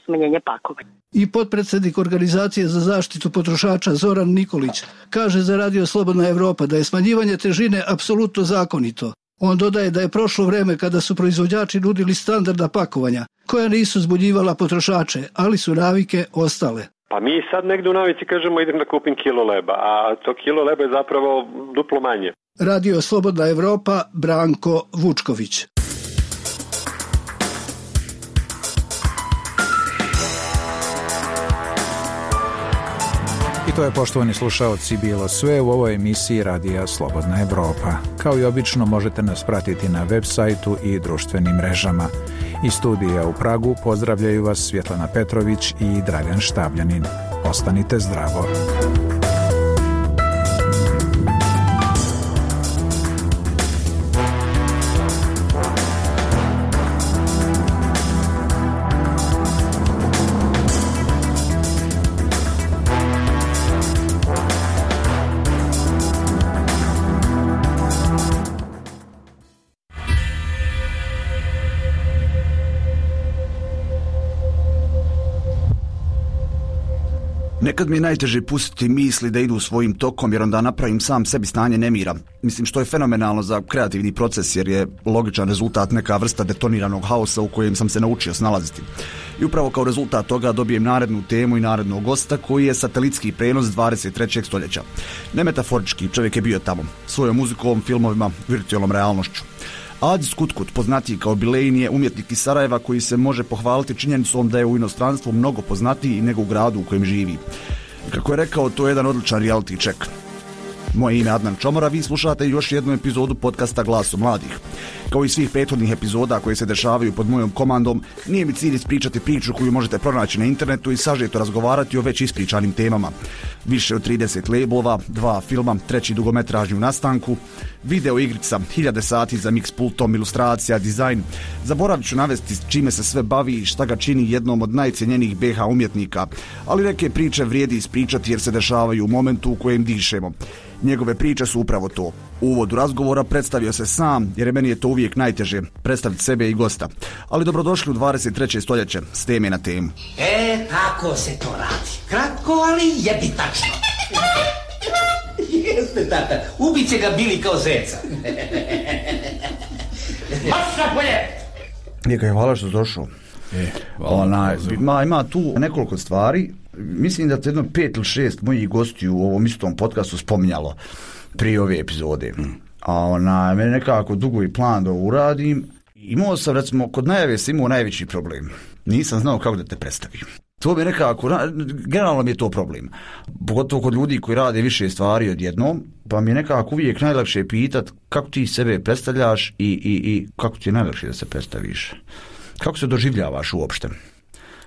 Speaker 25: smanjenja pakovanja.
Speaker 24: I potpredsjednik Organizacije za zaštitu potrošača Zoran Nikolić kaže za radio Slobodna Evropa da je smanjivanje težine apsolutno zakonito. On dodaje da je prošlo vreme kada su proizvođači nudili standardna pakovanja, koja nisu zbunjivala potrošače, ali su navike ostale.
Speaker 26: Pa mi sad negdje u navici kažemo idem da kupim kilo leba, a to kilo leba je zapravo duplo manje.
Speaker 24: Radio Slobodna Evropa, Branko Vučković.
Speaker 1: I to je, poštovani slušaoci, bilo sve u ovoj emisiji Radija Slobodna Evropa. Kao i obično možete nas pratiti na web sajtu i društvenim mrežama. Iz studija u Pragu pozdravljaju vas Svjetlana Petrović i Dragan Štavljanin. Ostanite zdravo.
Speaker 21: Nekad mi je najteže pustiti misli da idu svojim tokom, jer onda napravim sam sebi stanje nemira. Mislim, što je fenomenalno za kreativni proces, jer je logičan rezultat neka vrsta detoniranog haosa u kojem sam se naučio snalaziti. I upravo kao rezultat toga dobijem narednu temu i narednog gosta, koji je satelitski prenos 23. stoljeća. Ne metaforički, čovjek je bio tamo, svojom muzikom, filmovima, virtualnom realnošću. Adis Kutkut, poznatiji kao Bilein, je umjetnik iz Sarajeva koji se može pohvaliti činjenicom da je u inostranstvu mnogo poznatiji nego u gradu u kojem živi. Kako je rekao, to je jedan odličan reality check. Moje ime je Adnan Čomora, vi slušate još jednu epizodu podcasta Glasu mladih. Kao i svih prethodnih epizoda koje se dešavaju pod mojom komandom, nije mi cilj ispričati priču koju možete pronaći na internetu i sažeto razgovarati o već ispričanim temama. Više od 30 labelova, 2 filma, 3 dugometražni u nastanku, video igrica, 1000 sati za mix pultom, ilustracija, dizajn. Zaboravit ću navesti čime se sve bavi i šta ga čini jednom od najcijenjenijih BH umjetnika, ali neke priče vrijedi ispričati jer se dešavaju u momentu u kojem dišemo. Njegove priče su upravo to. U uvodu razgovora predstavio se sam, jer meni je to uvijek najteže, predstaviti sebe i gosta. Ali dobrodošli u 23. stoljeće, s teme na temu.
Speaker 2: Tako se to radi. Kratko, ali jebitačno. Jeste, tata, ubit će ga Bili kao zeca. Maša polje!
Speaker 21: Neka, hvala što si došao. Ima tu nekoliko stvari. Mislim da te jedno 5 ili 6 mojih gostiju u ovom istom podcastu spominjalo prije ove epizode. A mene nekako dugo i plan da uradim. Imao sam, recimo, kod najave sam imao najveći problem. Nisam znao kako da te predstavim. To mi je nekako, generalno mi je to problem. Pogotovo kod ljudi koji rade više stvari odjednom, pa mi je nekako uvijek najlakše pitat kako ti sebe predstavljaš i kako ti je najlakše da se predstaviš. Kako se doživljavaš uopšte?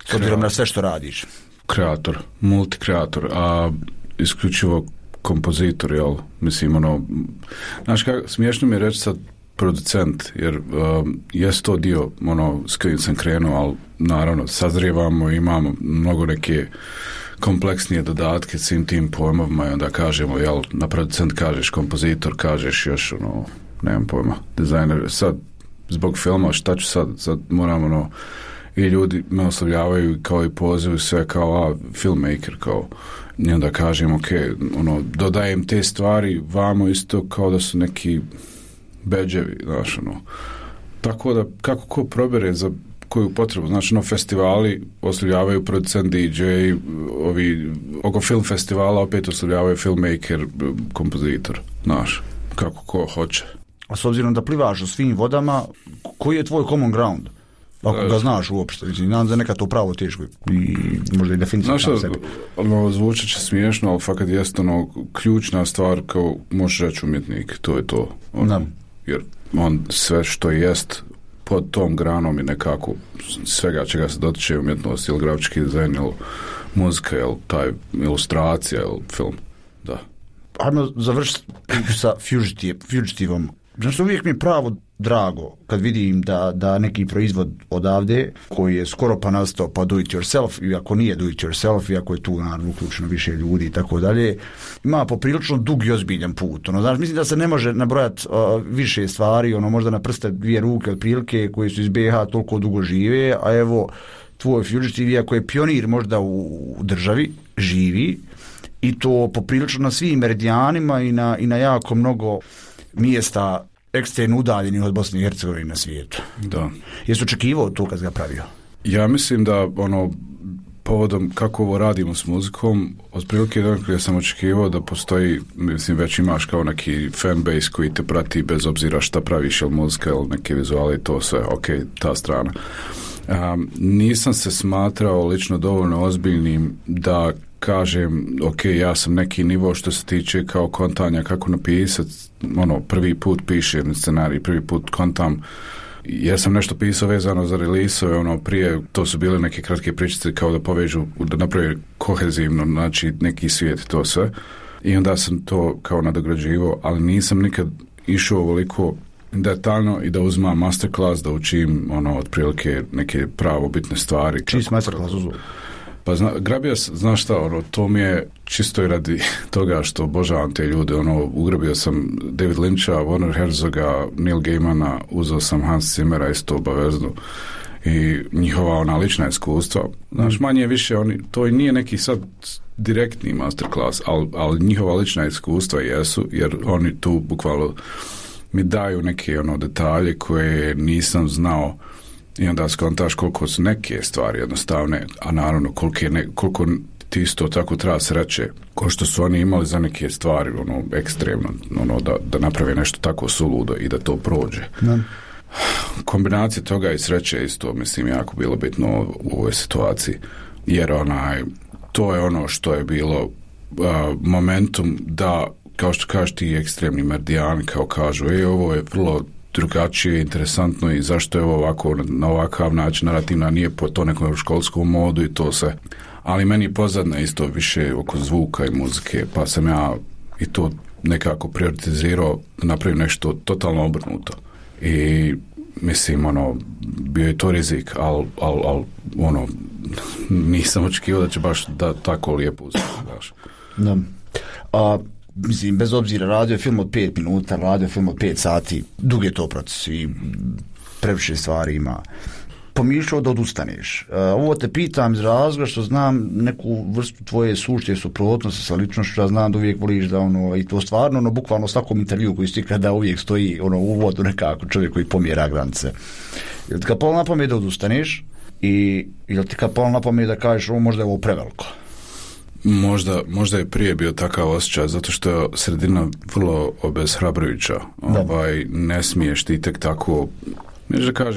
Speaker 21: S obzirom na sve što radiš.
Speaker 6: Kreator, multikreator, a isključivo kompozitor, jel? Mislim, znaš kako, smiješno mi je reći sad producent, jer jest to dio, s kojim sam krenuo, ali naravno, sazrijevamo, imamo mnogo neke kompleksnije dodatke svim tim pojmovima i onda kažemo, jel, na producent kažeš, kompozitor kažeš još, nemam pojma, dizajner, sad, zbog filma, šta ću sad moram, i ljudi me oslovljavaju kao i pozivu sve kao filmmaker, kao, i onda kažem, ok, dodajem te stvari vamo isto kao da su neki bedževi, znaš, tako da, kako ko probere za koju potrebu, znači, festivali oslovljavaju producent, DJ, ovi, oko film festivala opet oslovljavaju filmmaker, kompozitor, znaš, kako ko hoće.
Speaker 21: A s obzirom da plivaš u svim vodama, koji je tvoj common ground? Ako ga znaš uopšte, nadam da nekad to pravo teško i možda i definitivno sam sebi.
Speaker 6: Zvučat će smiješno, ali fakat jest ključna stvar kao možeš reći umjetnik, to je to. Jer on sve što jest pod tom granom i nekako svega čega se dotiče umjetnost, ili grafički dizajn, ili muzika, ili taj ilustracija, ili film, da.
Speaker 21: Ajmo završiti sa Fugitivom. Znači, uvijek mi je pravo drago kad vidim da neki proizvod odavde koji je skoro pa nastao pa do it yourself, i ako nije do it yourself, i ako je tu naravno uključeno više ljudi i tako dalje, ima poprilično dug i ozbiljan put. Znači, mislim da se ne može nabrojati više stvari, možda na prste 2 ruke otprilike koji su iz BH toliko dugo žive, a evo tvoj Fugitive, iako je pionir možda u državi, živi, i to poprilično na svim meridijanima i na jako mnogo mjesta ekstremno udaljenih od Bosne i Hercegovine na svijetu.
Speaker 6: Da.
Speaker 21: Jesi očekivao to kad ga pravio?
Speaker 6: Ja mislim da povodom kako ovo radimo s muzikom, otprilike ja sam očekivao da postoji, mislim, već imaš kao neki fanbase koji te prati bez obzira šta praviš, ili muzika, ili neke vizuale, to sve, ok, ta strana. Nisam se smatrao lično dovoljno ozbiljnim da kažem, ok, ja sam neki nivo što se tiče kao kontanja kako napisati, prvi put pišem scenarij, prvi put kontam. Ja sam nešto pisao vezano za release-ove, prije to su bile neke kratke pričice kao da povežu, da napravi kohezivno, znači neki svijet, to sve. I onda sam to kao nadograđivao, ali nisam nikad išao ovoliko detaljno i da uzmam masterclass, da učim otprilike neke pravo bitne stvari.
Speaker 21: Čiji si masterclass uzeo?
Speaker 6: Pa grabio, znaš šta, to mi je čisto i radi toga što obožavam te ljude, ugrabio sam David Lyncha, Werner Herzoga, Neil Gaimana, uzeo sam Hans Zimmera isto obavezno i njihova lična iskustva. Znaš, manje više, to i nije neki sad direktni masterclass, ali njihova lična iskustva jesu, jer oni tu bukvalno mi daju neke detalje koje nisam znao i onda skontaš koliko su neke stvari jednostavne, a naravno koliko ti isto tako treba sreće ko što su oni imali za neke stvari ekstremno, da naprave nešto tako suludo i da to prođe.
Speaker 3: Da.
Speaker 6: Kombinacija toga i sreće isto, mislim, jako bilo bitno u ovoj situaciji, jer to je ono što je bilo momentum da, kao što kažeš ti ekstremni merdijani, kao kažu, ovo je vrlo drugačije, interesantno i zašto je ovo ovako, na ovakav način narativna, nije po to nekom školskom modu i to sve. Ali meni je pozadna isto više oko zvuka i muzike, pa sam ja i to nekako prioritizirao da napravim nešto totalno obrnuto. I mislim, bio je to rizik, ali nisam očekivao da će baš da tako lijepo uspjeti.
Speaker 3: Da. Mislim, bez obzira, radio film od 5 minuta, radio film od 5 sati, dug je to proces i previše stvari ima. Pomišljao da odustaneš. Ovo te pitam iz razloga što znam neku vrstu tvoje suštje suprotnosti sa ličnošću, ja znam da uvijek voliš da i to stvarno, bukvalno svakom intervju koji stikla da uvijek stoji u uvodu nekako čovjek koji pomjera granice. Jel ti kad palo na pamet da odustaneš i jel ti kad palo na pamet da kažeš možda je ovo preveliko?
Speaker 6: Možda je prije bio takav osjećaj, zato što je sredina vrlo obeshrabrujuća. Ne smiješ ti tek tako,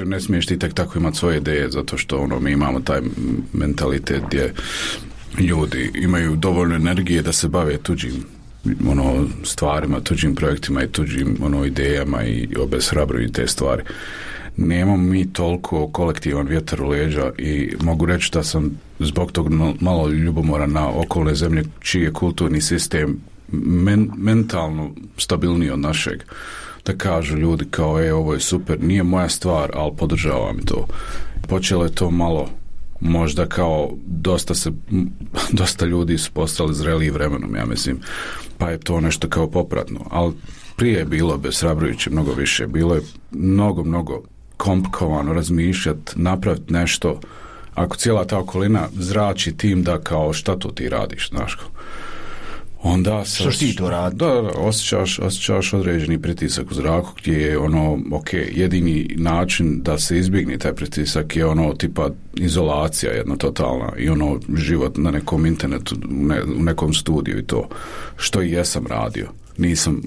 Speaker 6: ne smiješ ti tek tako imati svoje ideje, zato što mi imamo taj mentalitet gdje ljudi imaju dovoljno energije da se bave tuđim stvarima, tuđim projektima i tuđim idejama i obeshrabruju te stvari. Nemamo mi toliko kolektivan vjetar u leđa i mogu reći da sam zbog tog malo ljubomoran na okolne zemlje čiji je kulturni sistem mentalno stabilniji od našeg. Da kažu ljudi kao ovo je super, nije moja stvar, ali podržavam to. Počelo je to malo, možda kao dosta ljudi su postali zreliji vremenom, ja mislim, pa je to nešto kao popratno, ali prije je bilo obeshrabrujuće mnogo više, bilo je mnogo komplikovano razmišljati, napraviti nešto, ako cijela ta okolina zrači tim da kao šta to ti radiš, znaš. Onda
Speaker 3: što ti to radi?
Speaker 6: Da, osjećaš određeni pritisak u zraku gdje je jedini način da se izbjegne taj pritisak je tipa izolacija jedna totalna i život na nekom internetu, u nekom studiju i to, što i jesam radio. Nisam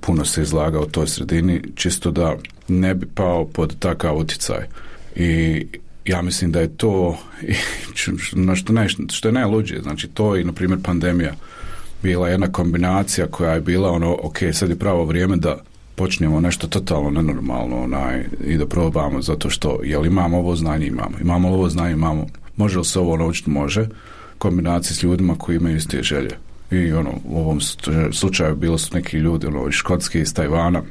Speaker 6: puno se izlagao u toj sredini, čisto da ne bi pao pod takav utjecaj. I ja mislim da je to što je najluđe, znači to i na primjer pandemija bila jedna kombinacija koja je bila sad je pravo vrijeme da počnemo nešto totalno nenormalno i da probamo, zato što imamo ovo znanje, imamo, može li se ovo naučiti, može, kombinacije s ljudima koji imaju iste želje. I u ovom slučaju bilo su neki ljudi iz Škotske, iz Tajvana,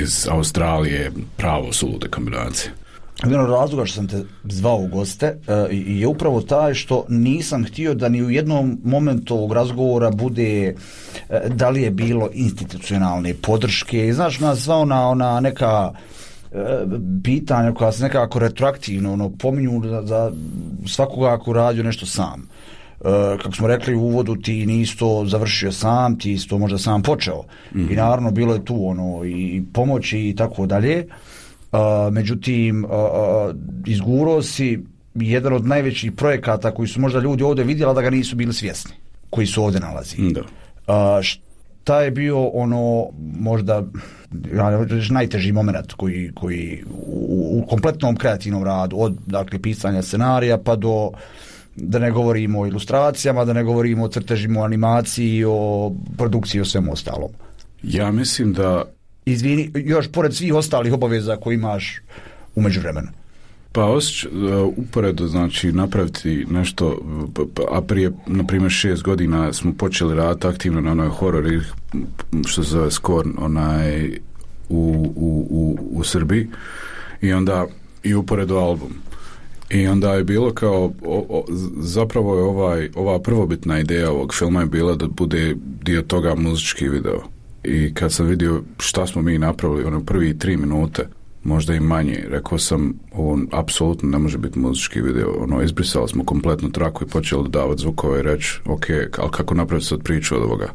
Speaker 6: iz Australije, pravo sulude kombinacije.
Speaker 3: Jedan od razloga što sam te zvao u goste je upravo taj što nisam htio da ni u jednom momentu ovog razgovora bude da li je bilo institucionalne podrške. I znaš, nas zvao na neka pitanja koja se nekako retroaktivno pominju za svakoga ako radio nešto sam. Kako smo rekli u uvodu, ti nisi to završio sam, ti si to možda sam počeo. Mm-hmm. I naravno bilo je tu i pomoći i tako dalje. Međutim, izgurao si jedan od najvećih projekata koji su možda ljudi ovdje vidjeli, da ga nisu bili svjesni, koji su ovdje nalazi. Šta je bio možda najteži moment koji u kompletnom kreativnom radu, od pisanja scenarija pa do, da ne govorimo o ilustracijama, da ne govorimo o crtežima, o animaciji, o produkciji, o svemu ostalom?
Speaker 6: Ja mislim da...
Speaker 3: Izvini, još pored svih ostalih obaveza koje imaš u međuvremenu.
Speaker 6: Pa uporedo, znači, napraviti nešto, a prije, na primjer, 6 godina smo počeli raditi aktivno na onoj horor, što se zove Skorn, u Srbiji, i onda i uporedo album. I onda je bilo kao, zapravo je ova prvobitna ideja ovog filma je bila da bude dio toga muzički video. I kad sam vidio šta smo mi napravili, prvi 3 minute, možda i manje. Rekao sam, ovo apsolutno ne može biti muzički video. Izbrisali smo kompletnu traku i počeli dodavati zvukove i reći, ok, ali kako napraviti sad priču od ovoga?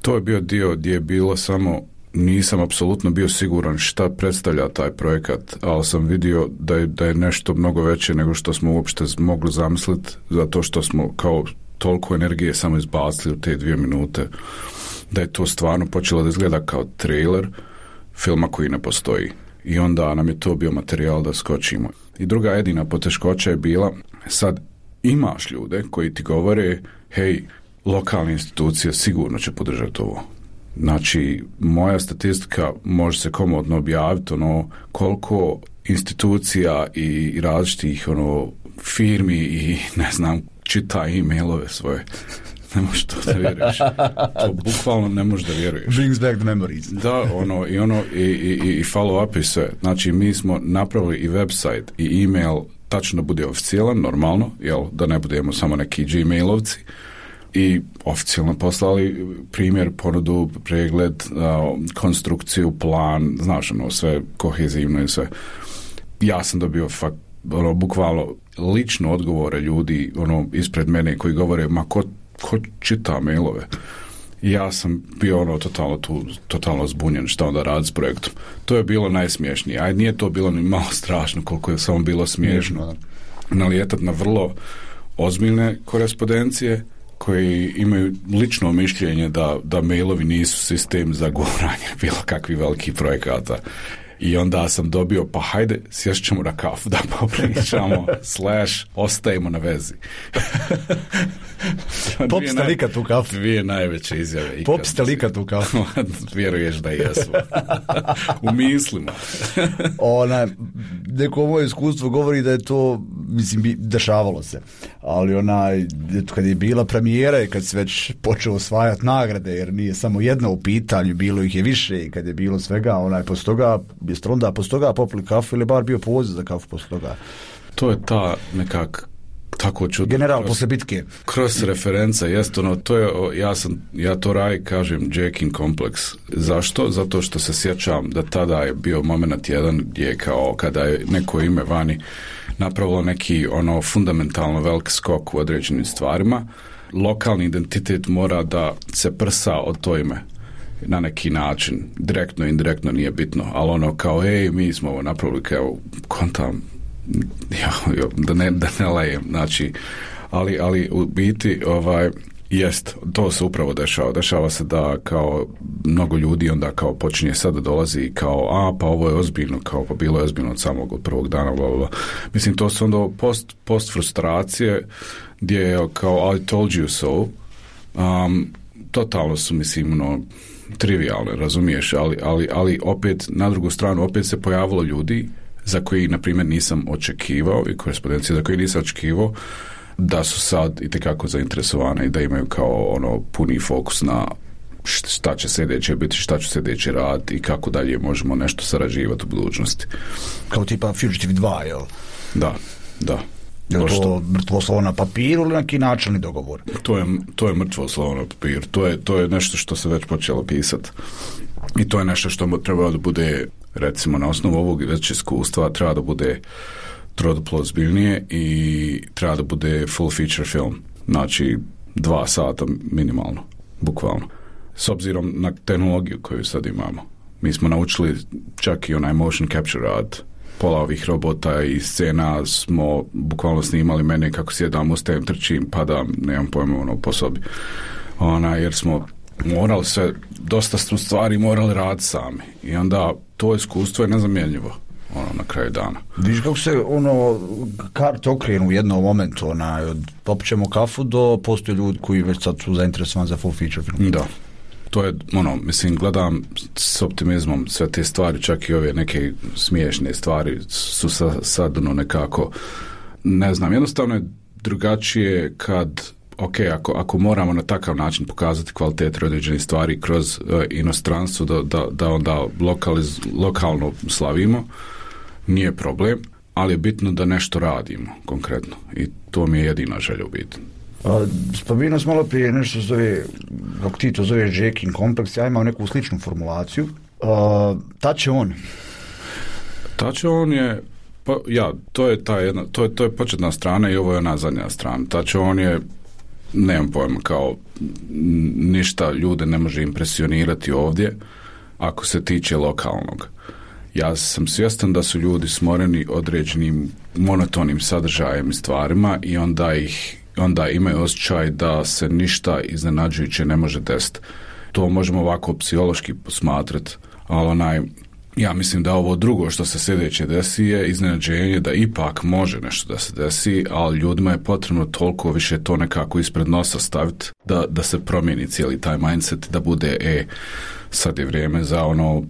Speaker 6: To je bio dio gdje je bilo samo, nisam apsolutno bio siguran šta predstavlja taj projekat, ali sam vidio da je nešto mnogo veće nego što smo uopšte mogli zamisliti, zato što smo kao toliko energije samo izbacili u te 2 minute, da je to stvarno počelo da izgleda kao trailer filma koji ne postoji. I onda nam je to bio materijal da skočimo. I druga jedina poteškoća je bila, sad imaš ljude koji ti govore, hej, lokalne institucije sigurno će podržati ovo. Znači, moja statistika može se komodno objaviti, koliko institucija i različitih firmi i ne znam, čita e-mailove svoje. Ne možeš to da vjeruješ. To bukvalno ne možeš da vjeruješ.
Speaker 3: Brings back the memories.
Speaker 6: Da, i follow-up i sve. Znači, mi smo napravili i website i e-mail tačno bude oficijalan, normalno, da ne budemo samo neki Gmailovci. I oficijalno poslali primjer, ponudu, pregled, konstrukciju, plan, znaš, sve kohezivno i sve. Ja sam dobio bukvalno lično odgovore ljudi ispred mene koji govore, ma ko čita mailove? I ja sam bio totalno zbunjen šta onda radi s projektom. To je bilo najsmiješnije. A nije to bilo ni malo strašno koliko je samo bilo smiješno. Nalijetat na vrlo ozbiljne korespondencije koji imaju lično mišljenje da mailovi nisu sistem za guranje bilo kakvih velikih projekata. I onda sam dobio, pa hajde, sjest ćemo na kafu da popričamo, ostajemo na vezi.
Speaker 3: Pop ste lika tu kafu.
Speaker 6: 2 najveće izjave.
Speaker 3: Pop ste lika tu kafu.
Speaker 6: Vjeruješ da jesmo. U mislima.
Speaker 3: Neko moje iskustvo govori da je to, mislim, dešavalo se. Ali kad je bila premijera i kad se već počeo osvajati nagrade, jer nije samo jedna u pitanju, bilo ih je više i kad je bilo svega, poslije toga, jeste onda poslije toga popili kafu ili bar bio poziv za kafu poslije toga?
Speaker 6: To je ta nekak tako čudno.
Speaker 3: General posle bitke.
Speaker 6: Kroz referenca, jest to je, ja to kažem jacking kompleks. Zašto? Zato što se sjećam da tada je bio moment jedan gdje kao kada je neko ime vani napravilo neki fundamentalno velik skok u određenim stvarima, lokalni identitet mora da se prsa od to ime na neki način, direktno, indirektno, nije bitno, ali kao, mi smo ovo napravili, kao, kontam, da ne lejem, znači, ali u biti, jest, to se upravo dešava se da kao mnogo ljudi onda kao počinje sad da dolazi kao, pa ovo je ozbiljno, kao pa bilo je ozbiljno od samog prvog dana, bla. Mislim, to su onda post frustracije gdje je kao I told you so, totalno su, mislim, trivialne, razumiješ, ali opet na drugu stranu opet se pojavilo ljudi za koji, na primjer, nisam očekivao i korespondencije za koje nisam očekivao da su sad itekako zainteresovane i da imaju kao puni fokus na šta će sljedeće biti, šta će sljedeće raditi i kako dalje možemo nešto sarađivati u budućnosti.
Speaker 3: Kao tipa Fugitive 2, jel?
Speaker 6: Da.
Speaker 3: Je li to mrtvo slovo na papiru ili neki načelni dogovor?
Speaker 6: To je mrtvo slovo na papiru. To je nešto što se već počelo pisati. I to je nešto što treba da bude, recimo, na osnovu ovog već iskustva, treba da bude troduplo ozbiljnije i treba da bude full feature film. Znači, 2 sata minimalno, bukvalno. S obzirom na tehnologiju koju sad imamo. Mi smo naučili čak i onaj motion capture rad. Pola ovih robota i scena smo bukvalno snimali mene kako sjedam, ustajem, trčim, padam, nemam pojma po sobi. Jer smo morali sve, dosta smo stvari morali raditi sami. I onda to iskustvo je nezamjenljivo na kraju dana.
Speaker 3: Viš kako se karte okrenu u jednom momentu, od popćemo kafu do postoje ljudi koji već sad su zainteresovani za full feature film.
Speaker 6: Da. To je, mislim, gledam s optimizmom sve te stvari, čak i ove neke smiješne stvari su sad nekako, ne znam, jednostavno je drugačije kad, ako moramo na takav način pokazati kvalitet određenih stvari kroz inostranstvo, da onda lokalno slavimo, nije problem, ali je bitno da nešto radimo konkretno i to mi je jedina želja u biti.
Speaker 3: Spomenuo smo malo prije nešto zove, kako ti to zoveš, jacking kompleks, ja imam neku sličnu formulaciju. Ta će on?
Speaker 6: Tačon je, to je ta jedna, to je početna strana i ovo je ona zadnja strana. Tačon je, nemam pojma, kao ništa ljude ne može impresionirati ovdje ako se tiče lokalnog. Ja sam svjestan da su ljudi smoreni određenim monotonim sadržajem i stvarima i onda imaju osjećaj da se ništa iznenađujuće ne može desiti. To možemo ovako psihološki posmatrati, ali ja mislim da ovo drugo što se sljedeće desi je iznenađenje da ipak može nešto da se desi, ali ljudima je potrebno toliko više to nekako ispred nosa staviti da se promijeni cijeli taj mindset, da bude sad je vrijeme za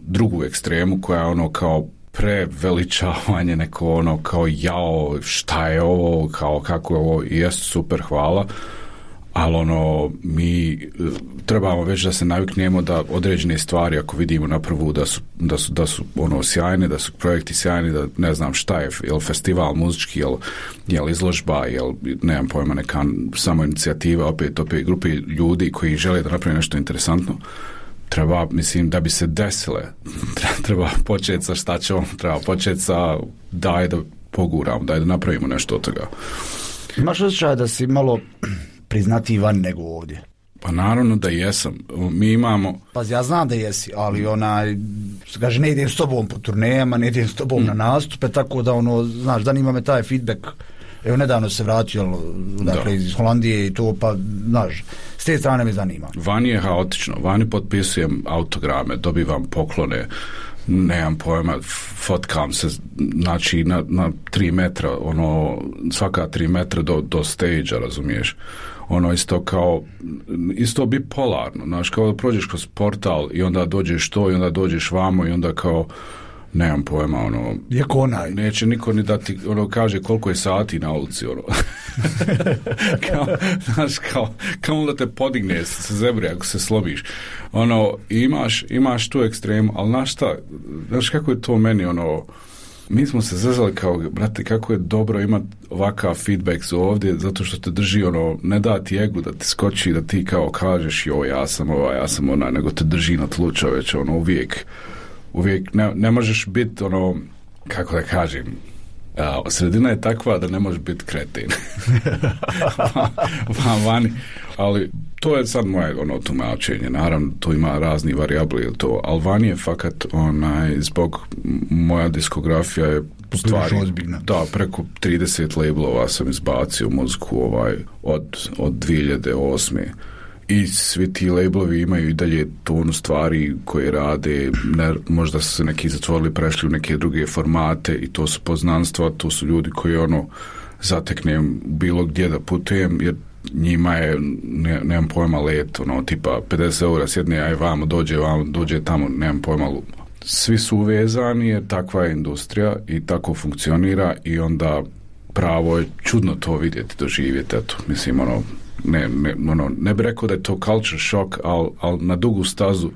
Speaker 6: drugu ekstremu koja je kao preveličavanje, neko kao jao, šta je ovo, kao kako je ovo, i jest super, hvala, ali mi trebamo već da se naviknemo da određene stvari, ako vidimo na prvu da su sjajne, da su projekti sjajni, da ne znam šta je, jel festival muzički, jel izložba, jel nemam pojma, neka samo inicijativa, opet grupe ljudi koji žele da naprave nešto interesantno, treba, mislim, da bi se desile, treba početi sa šta će treba početi sa daj da poguramo, daj da napravimo nešto od toga.
Speaker 3: Imaš osjećaj da si malo priznati van nego ovdje?
Speaker 6: Pa naravno da jesam. Mi imamo...
Speaker 3: Pa ja znam da jesi, ali kaže, ne idem s tobom po turnejama, ne idem s tobom na nastupe, tako da znaš, zanima me taj feedback. Evo, nedavno se vratio, dakle, iz Holandije i to, pa, znaš, s te strane me zanima.
Speaker 6: Vani je haotično, vani potpisujem autograme, dobivam poklone, nemam pojma, fotkam se, znači, na 3 metra, svaka 3 metra do stage-a, razumiješ? Isto bipolarno, znaš, kao da prođeš kroz portal i onda dođeš to i onda dođeš vamo i onda kao, nemam pojma, neće niko ni dati, kaže koliko je sati na ulici, znaš, kao da te podigne sa zebre ako se slobiš, imaš tu ekstremu, ali znaš kako je to meni, mi smo se zezali kao, brate, kako je dobro imati ovakav feedback ovdje, zato što te drži, ne da ti egu da ti skoči, da ti kao kažeš, ja sam ona, nego te drži na tlu, čoveč, uvijek ne možeš biti, kako da kažem, sredina je takva da ne možeš biti kretin. Vani. Ali to je sad moje tumačenje. Naravno, tu ima razni varijabli, ali vani je fakat zbog moja diskografija je stvari, da, preko 30 labelova sam izbacio muziku od 2008. I svi ti labelovi imaju i dalje tonu stvari koje rade, možda su se neki zatvorili, prešli u neke druge formate i to su poznanstva, to su ljudi koji zateknem bilo gdje da putujem, jer njima je, nemam pojma, let, tipa 50 eura sjedne, aj vamo, dođe tamo, nemam pojma. Svi su uvezani jer takva je industrija i tako funkcionira i onda pravo je čudno to vidjeti, doživjeti, eto, mislim, ne bi rekao da je to culture shock, ali na dugu stazu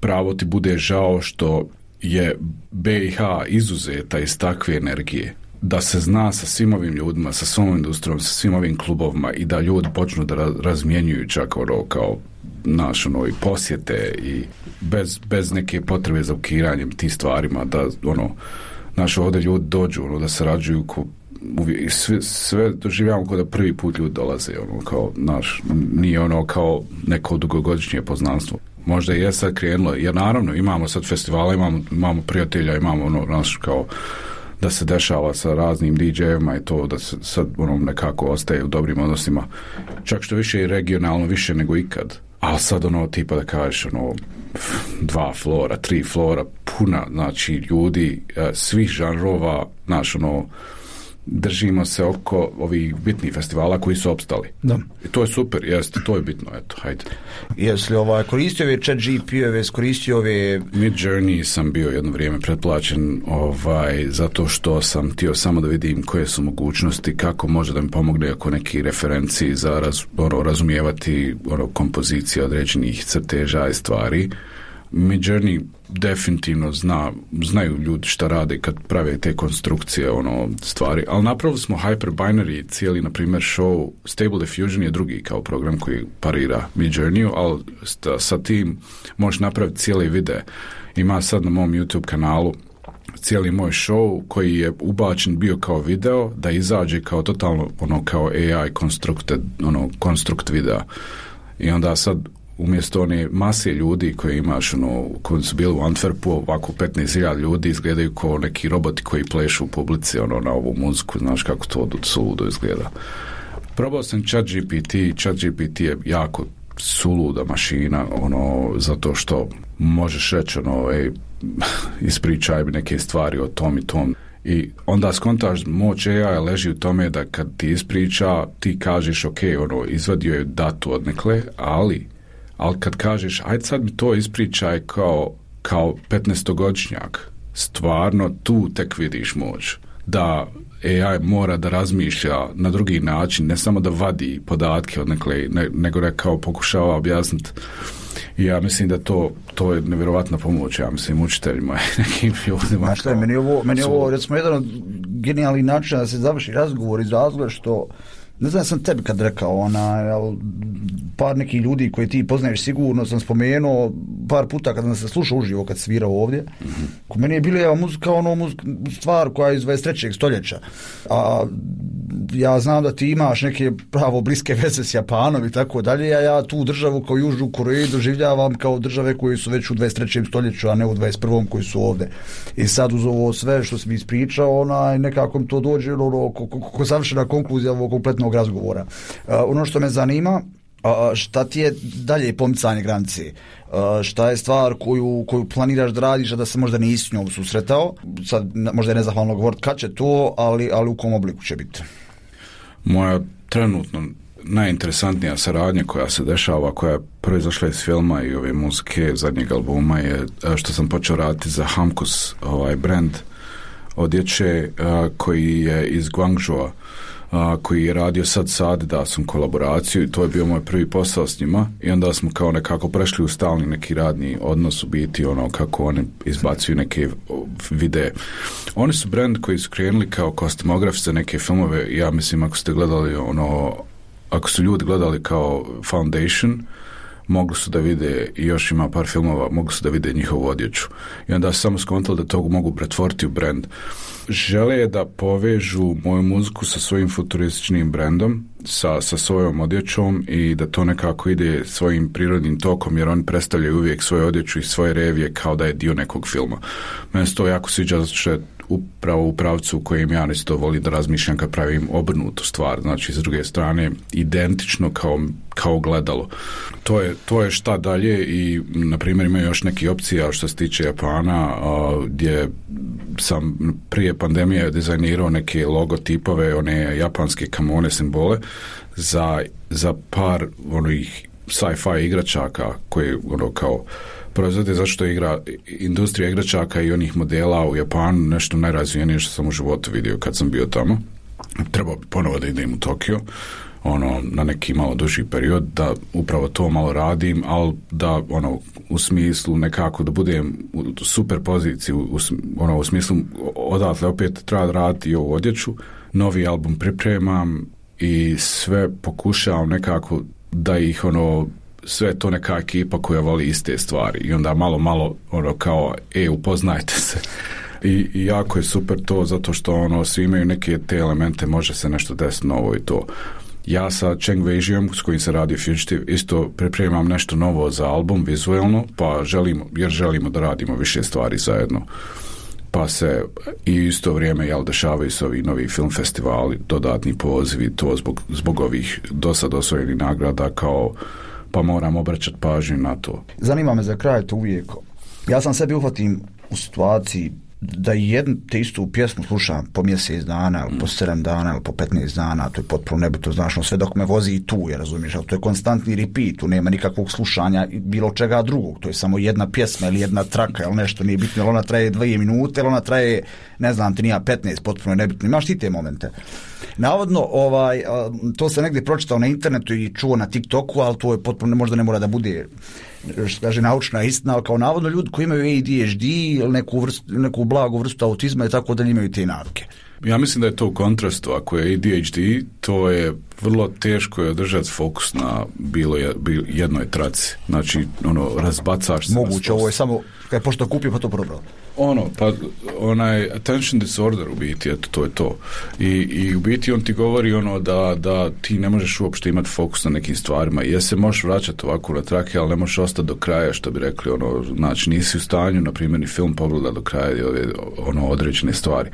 Speaker 6: pravo ti bude žao što je BiH izuzeta iz takve energije, da se zna sa svim ovim ljudima, sa svom industrijom, sa svim ovim klubovima i da ljudi počnu da razmjenjuju čak kao i posjete i bez neke potrebe za ukiranjem tih stvarima, da ovdje ljudi dođu, da sarađuju sve doživljavamo kao da prvi put ljudi dolaze, kao, nije kao neko dugogodišnje poznanstvo. Možda je sad krenulo, jer naravno imamo sad festivala, imamo prijatelja, imamo kao da se dešava sa raznim DJ-evima i to da se sad nekako ostaje u dobrim odnosima, čak što više i regionalno, više nego ikad. Ali sad tipa da kažeš 2 flora, 3 flora, puna, znači ljudi svih žanrova, držimo se oko ovih bitnih festivala koji su opstali.
Speaker 3: Da.
Speaker 6: I to je super, jeste, to je bitno, eto, hajde.
Speaker 3: Jesi li koristio ove chat GP-ove, koristio ove...
Speaker 6: Midjourney sam bio jedno vrijeme pretplaćen, zato što sam htio samo da vidim koje su mogućnosti, kako može da mi pomogne oko neki referenciji za razumijevati kompozicije određenih crteža i stvari. Midjourney definitivno znaju ljudi šta rade kad prave te konstrukcije stvari, ali napravili smo Hyperbinary, cijeli na primjer show. Stable Diffusion je drugi kao program koji parira Midjourneyu, ali sa tim možeš napraviti cijeli video. Ima sad na mom YouTube kanalu cijeli moj show koji je ubačen bio kao video, da izađe kao totalno kao AI konstrukt videa. I onda sad umjesto one mase ljudi koje imaš, koji su bili u Antwerpu, ovako 15.000 ljudi izgledaju kao neki roboti koji plešu u publici na ovu muziku, znaš kako to suludo izgleda. Probao sam ChatGPT je jako suluda mašina, zato što možeš reći, ispričaj mi neke stvari o tom i tom. I onda skontaš, moć AI leži u tome da kad ti ispriča, ti kažeš, ok, izvadio je datu odnekle, ali kad kažeš, ajde sad mi to ispričaj kao 15-godišnjak, stvarno tu tek vidiš moć. Da AI mora da razmišlja na drugi način, ne samo da vadi podatke odnekle, nego da kao pokušava objasniti. I ja mislim da to je nevjerovatna pomoć, ja mislim, učiteljima i nekim ljudima.
Speaker 3: Znaš šta, meni je ovo recimo jedan od genijalnih načina da se završi razgovor iz razloga što, ne znam, sam tebi kad rekao, par nekih ljudi koje ti poznaješ sigurno sam spomenuo par puta kad sam se slušao uživo kad svirao ovdje. Ko meni je bila muzika stvar koja je iz 23. stoljeća. A ja znam da ti imaš neke pravo bliske veze s Japanom i tako dalje, a ja tu državu kao Južnu Koreju doživljavam kao države koje su već u 23. stoljeću, a ne u 21. koji su ovdje. I sad uz ovo sve što si mi ispričao, nekako mi to dođe ko savršena konkluzija ovog kompletnog razgovora. Ono što me zanima, šta ti je dalje pomicanje granice? Šta je stvar koju planiraš da radiš, a da se možda nisi s njom susretao? Sad možda je nezahvalno govoriti kad će to, ali u kom obliku će biti?
Speaker 6: Moja trenutno najinteresantnija saradnja koja se dešava, koja je proizašla iz filma i ove muzike zadnjeg albuma, je što sam počeo raditi za Hamkus, brand odjeće koji je iz Guangzhoua, koji je radio sad sa Adidasom kolaboraciju, i to je bio moj prvi posao s njima, i onda smo kao nekako prešli u stalni neki radni odnos, u biti kako oni izbacuju neke videe. Oni su brand koji su krenuli kao kostimografi za neke filmove. Ja mislim, ako ste gledali ako su ljudi gledali kao Foundation, mogli su da vide, i još ima par filmova, mogli su da vide njihovu odjeću. I onda su samo skontali da to mogu pretvoriti u brand. Žele da povežu moju muziku sa svojim futurističnim brandom, sa svojom odjećom, i da to nekako ide svojim prirodnim tokom, jer oni predstavljaju uvijek svoju odjeću i svoje revije kao da je dio nekog filma. Meni se to jako sviđa, zato što je upravo u pravcu u kojem ja isto volim da razmišljam kad pravim obrnutu stvar, znači s druge strane identično kao gledalo. To je šta dalje. I na primjer imaju još neki opcija što se tiče Japana, gdje sam prije pandemije dizajnirao neke logotipove, one japanske kamone simbole za par onih sci-fi igračaka koje kao proizvode, zašto industrija igračaka i onih modela u Japanu nešto najrazvijenije što sam u životu vidio kad sam bio tamo. Trebao bi ponovo da idem u Tokio, na neki malo duži period, da upravo to malo radim, ali da u smislu nekako da budem u super poziciji, u smislu odatle opet treba raditi i ovu odjeću. Novi album pripremam i sve pokušavam nekako da ih sve to neka ekipa koja voli iste stvari, i onda malo kao upoznajte se. I jako je super to, zato što svi imaju neke te elemente, može se nešto desiti novo i to. Ja sa Cheng Wei-jiom, s kojim se radi Fugitive, isto pripremam nešto novo za album vizualno, jer želimo da radimo više stvari zajedno. Pa se i isto vrijeme dešavaju se ovi novi film festivali, dodatni pozivi, to zbog ovih dosad osvojenih nagrada, pa moram obraćati pažnju na to.
Speaker 3: Zanima me za kraj to uvijek. Ja sam sebi uhvatim u situaciji da jednu te istu pjesmu slušam po mjesec dana, ili po 7 dana, ili po 15 dana, to je potpuno nebitno, znaš, sve dok me vozi i tu, razumiješ, ali to je konstantni repeat, tu nema nikakvog slušanja bilo čega drugog, to je samo jedna pjesma ili jedna traka, ili nešto, nije bitno, ili ona traje 2 minute, ili ona traje, ne znam, ti nija 15, potpuno nebitno, imaš ti te momente. Navodno, to se negdje pročitao na internetu i čuo na TikToku, ali to je potpuno, možda ne mora da bude, što kaže, naučna istina, ali kao navodno ljudi koji imaju ADHD ili neku blagu vrstu autizma i tako da imaju te navike.
Speaker 6: Ja mislim da je to u kontrastu. Ako je ADHD, to je vrlo teško je održati fokus na jednoj traci. Znači, razbacaš se.
Speaker 3: Moguće, ovo je samo, kad je pošto kupio, pa to probrao.
Speaker 6: Pa onaj attention disorder u biti, eto, to je to. I u biti on ti govori da ti ne možeš uopšte imati fokus na nekim stvarima. I se možeš vraćati ovako na trake, ali ne možeš ostati do kraja, što bi rekli, znači nisi u stanju, na primjer, ni film pogleda do kraja određene stvari.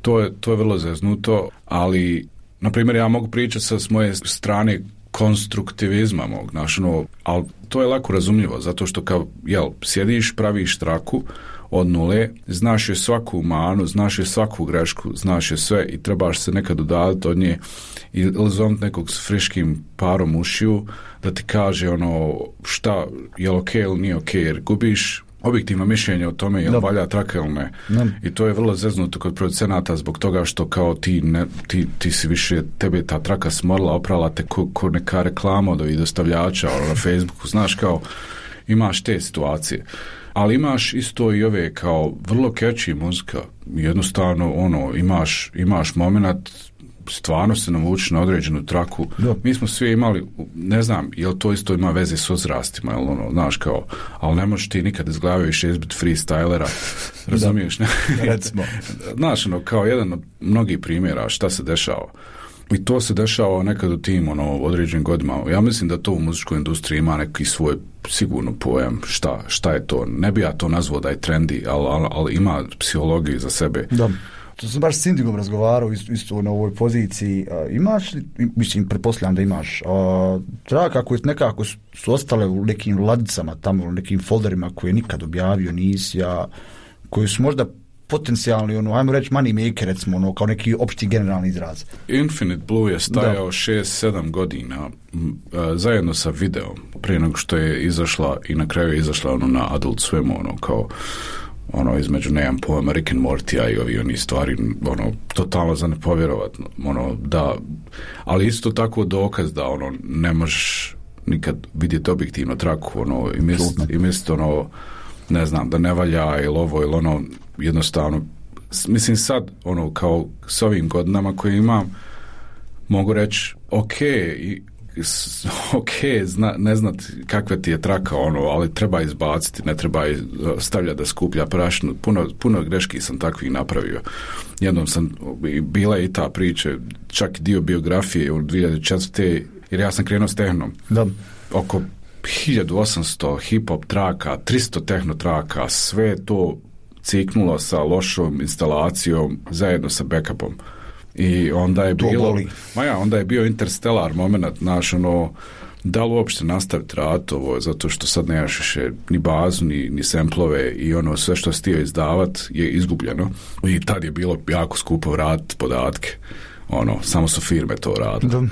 Speaker 6: To je vrlo zeznuto, ali, na primjer, ja mogu pričati s moje strane konstruktivizma mog, ali to je lako razumljivo, zato što sjediš, praviš traku od nule, znaš je svaku manu, znaš je svaku grešku, znaš je sve i trebaš se nekad udaliti od nje i zovniti nekog s friškim parom ušiju da ti kaže šta je okej ili nije okej, jer gubiš objektivno mišljenje o tome je li valja traka ili ne. I to je vrlo zeznuto kod producenata zbog toga što kao ti si više, tebe ta traka smorila, oprala te ko neka reklama od ovih dostavljača na Facebooku, znaš, kao imaš te situacije. Ali imaš isto i ove kao vrlo catchy muzika, jednostavno imaš moment, stvarno se navuči na određenu traku. Mi smo svi imali, ne znam, jel to isto ima veze s uzrastima, jel znaš, kao, ali ne možeš ti nikad iz glave više izbiti freestylera, razumiješ, ne?
Speaker 3: Recimo.
Speaker 6: Znaš, kao jedan od mnogih primjera šta se dešava. I to se dešava nekad u tim određenim godinama. Ja mislim da to u muzičkoj industriji ima neki svoj sigurno pojam šta je to. Ne bi ja to nazvao da je trendy, ali ima psihologiju za sebe.
Speaker 3: Da. To sam baš s Indigom razgovarao isto na ovoj poziciji. Imaš li, mislim, pretpostavljam da imaš, traka koje nekako su ostale u nekim ladicama tamo, u nekim folderima koje nikad objavio nisi, koji su možda potencijalni, ajmo reći money maker, recimo, kao neki opšti generalni izraz.
Speaker 6: Infinite Blue je stajao 6-7 godina zajedno sa videom, prije nego što je izašla i na kraju je izašla na Adult Swim, kao između nemam pojma Rick and Morty i oni stvari, totalno za nepovjerovatno, da, ali isto tako dokaz da ne možeš nikad vidjeti objektivno traku, i misliti ne znam, da ne valja ili ovo ili jednostavno, mislim sad, kao s ovim godinama koje imam, mogu reći, ne znati kakva ti je traka, ali treba izbaciti, ne treba stavljati da skuplja prašinu. Puno greški sam takvih napravio. Jednom bila i ta priča, čak dio biografije u 2004. jer ja sam krenuo s tehnom.
Speaker 3: Da.
Speaker 6: Oko 1800 hip-hop traka, 300 tehno traka, sve to ciknulo sa lošom instalacijom zajedno sa backupom. I onda je onda je bio interstellar moment, naš da li uopšte nastaviti rad ovo, zato što sad nemaš više ni bazu, ni semplove i sve što si htio izdavat je izgubljeno. I tad je bilo jako skupo vratiti podatke. Samo su firme to radile.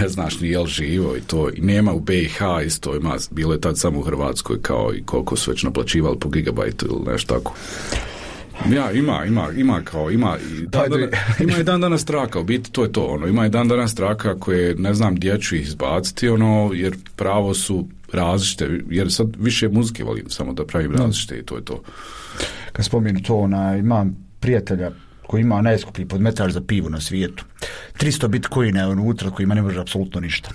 Speaker 6: Ne znaš ni jel živo i to. I nema u BiH isto, bilo je tad samo u Hrvatskoj, kao i koliko su već naplaćivali po gigabajtu ili nešto tako. Ima i dan danas traka, u biti to je to, ima i dan danas traka koje, ne znam, gdje ću ih izbaciti, jer pravo su različite, jer sad više muzike volim samo da pravim različite i to je to.
Speaker 3: Kad spomenu to, imam prijatelja koji ima najskuplji podmetač za pivo na svijetu. 300 bitcoina je unutra kojima ne može apsolutno ništa.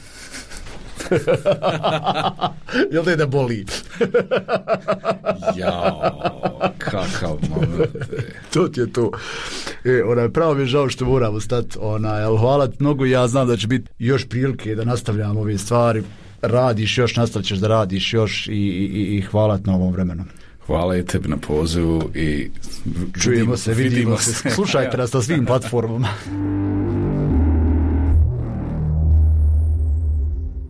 Speaker 3: Jel da je da boli?
Speaker 6: Jao, kakav moment.
Speaker 3: To ti je to. Pravo mi je žao što moramo stati. Ali hvala ti mnogo, ja znam da će biti još prilike da nastavljamo ove stvari. Radiš još, nastavit ćeš da radiš još i hvala ti na ovom vremenu.
Speaker 6: Hvala i tebi na pozivu i
Speaker 3: čujemo se, vidimo se. Slušajte nas na svim platformama.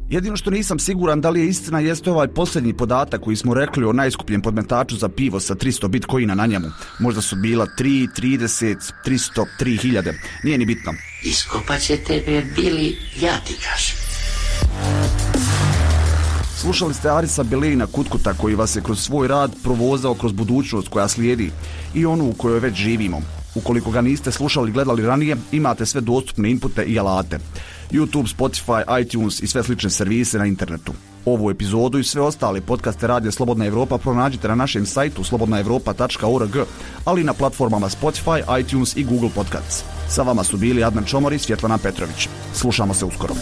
Speaker 3: Jedino što nisam siguran da li je istina jeste ovaj posljednji podatak koji smo rekli o najskupljem podmetaču za pivo sa 300 bitcoina na njemu. Možda su bila 3, 30, 300, 3000. Nije ni bitno.
Speaker 2: Iskopat će tebe, Bili, ja ti kažem.
Speaker 3: Slušali ste Arisa Belejna Kutkuta koji vas je kroz svoj rad provozao kroz budućnost koja slijedi i onu u kojoj već živimo. Ukoliko ga niste slušali i gledali ranije, imate sve dostupne inpute i alate. YouTube, Spotify, iTunes i sve slične servise na internetu. Ovu epizodu i sve ostale podcaste Radija Slobodna Evropa pronađite na našem sajtu slobodnaevropa.org, ali i na platformama Spotify, iTunes i Google Podcasts. Sa vama su bili Adnan Čomor i Svjetlana Petrović. Slušamo se uskoro.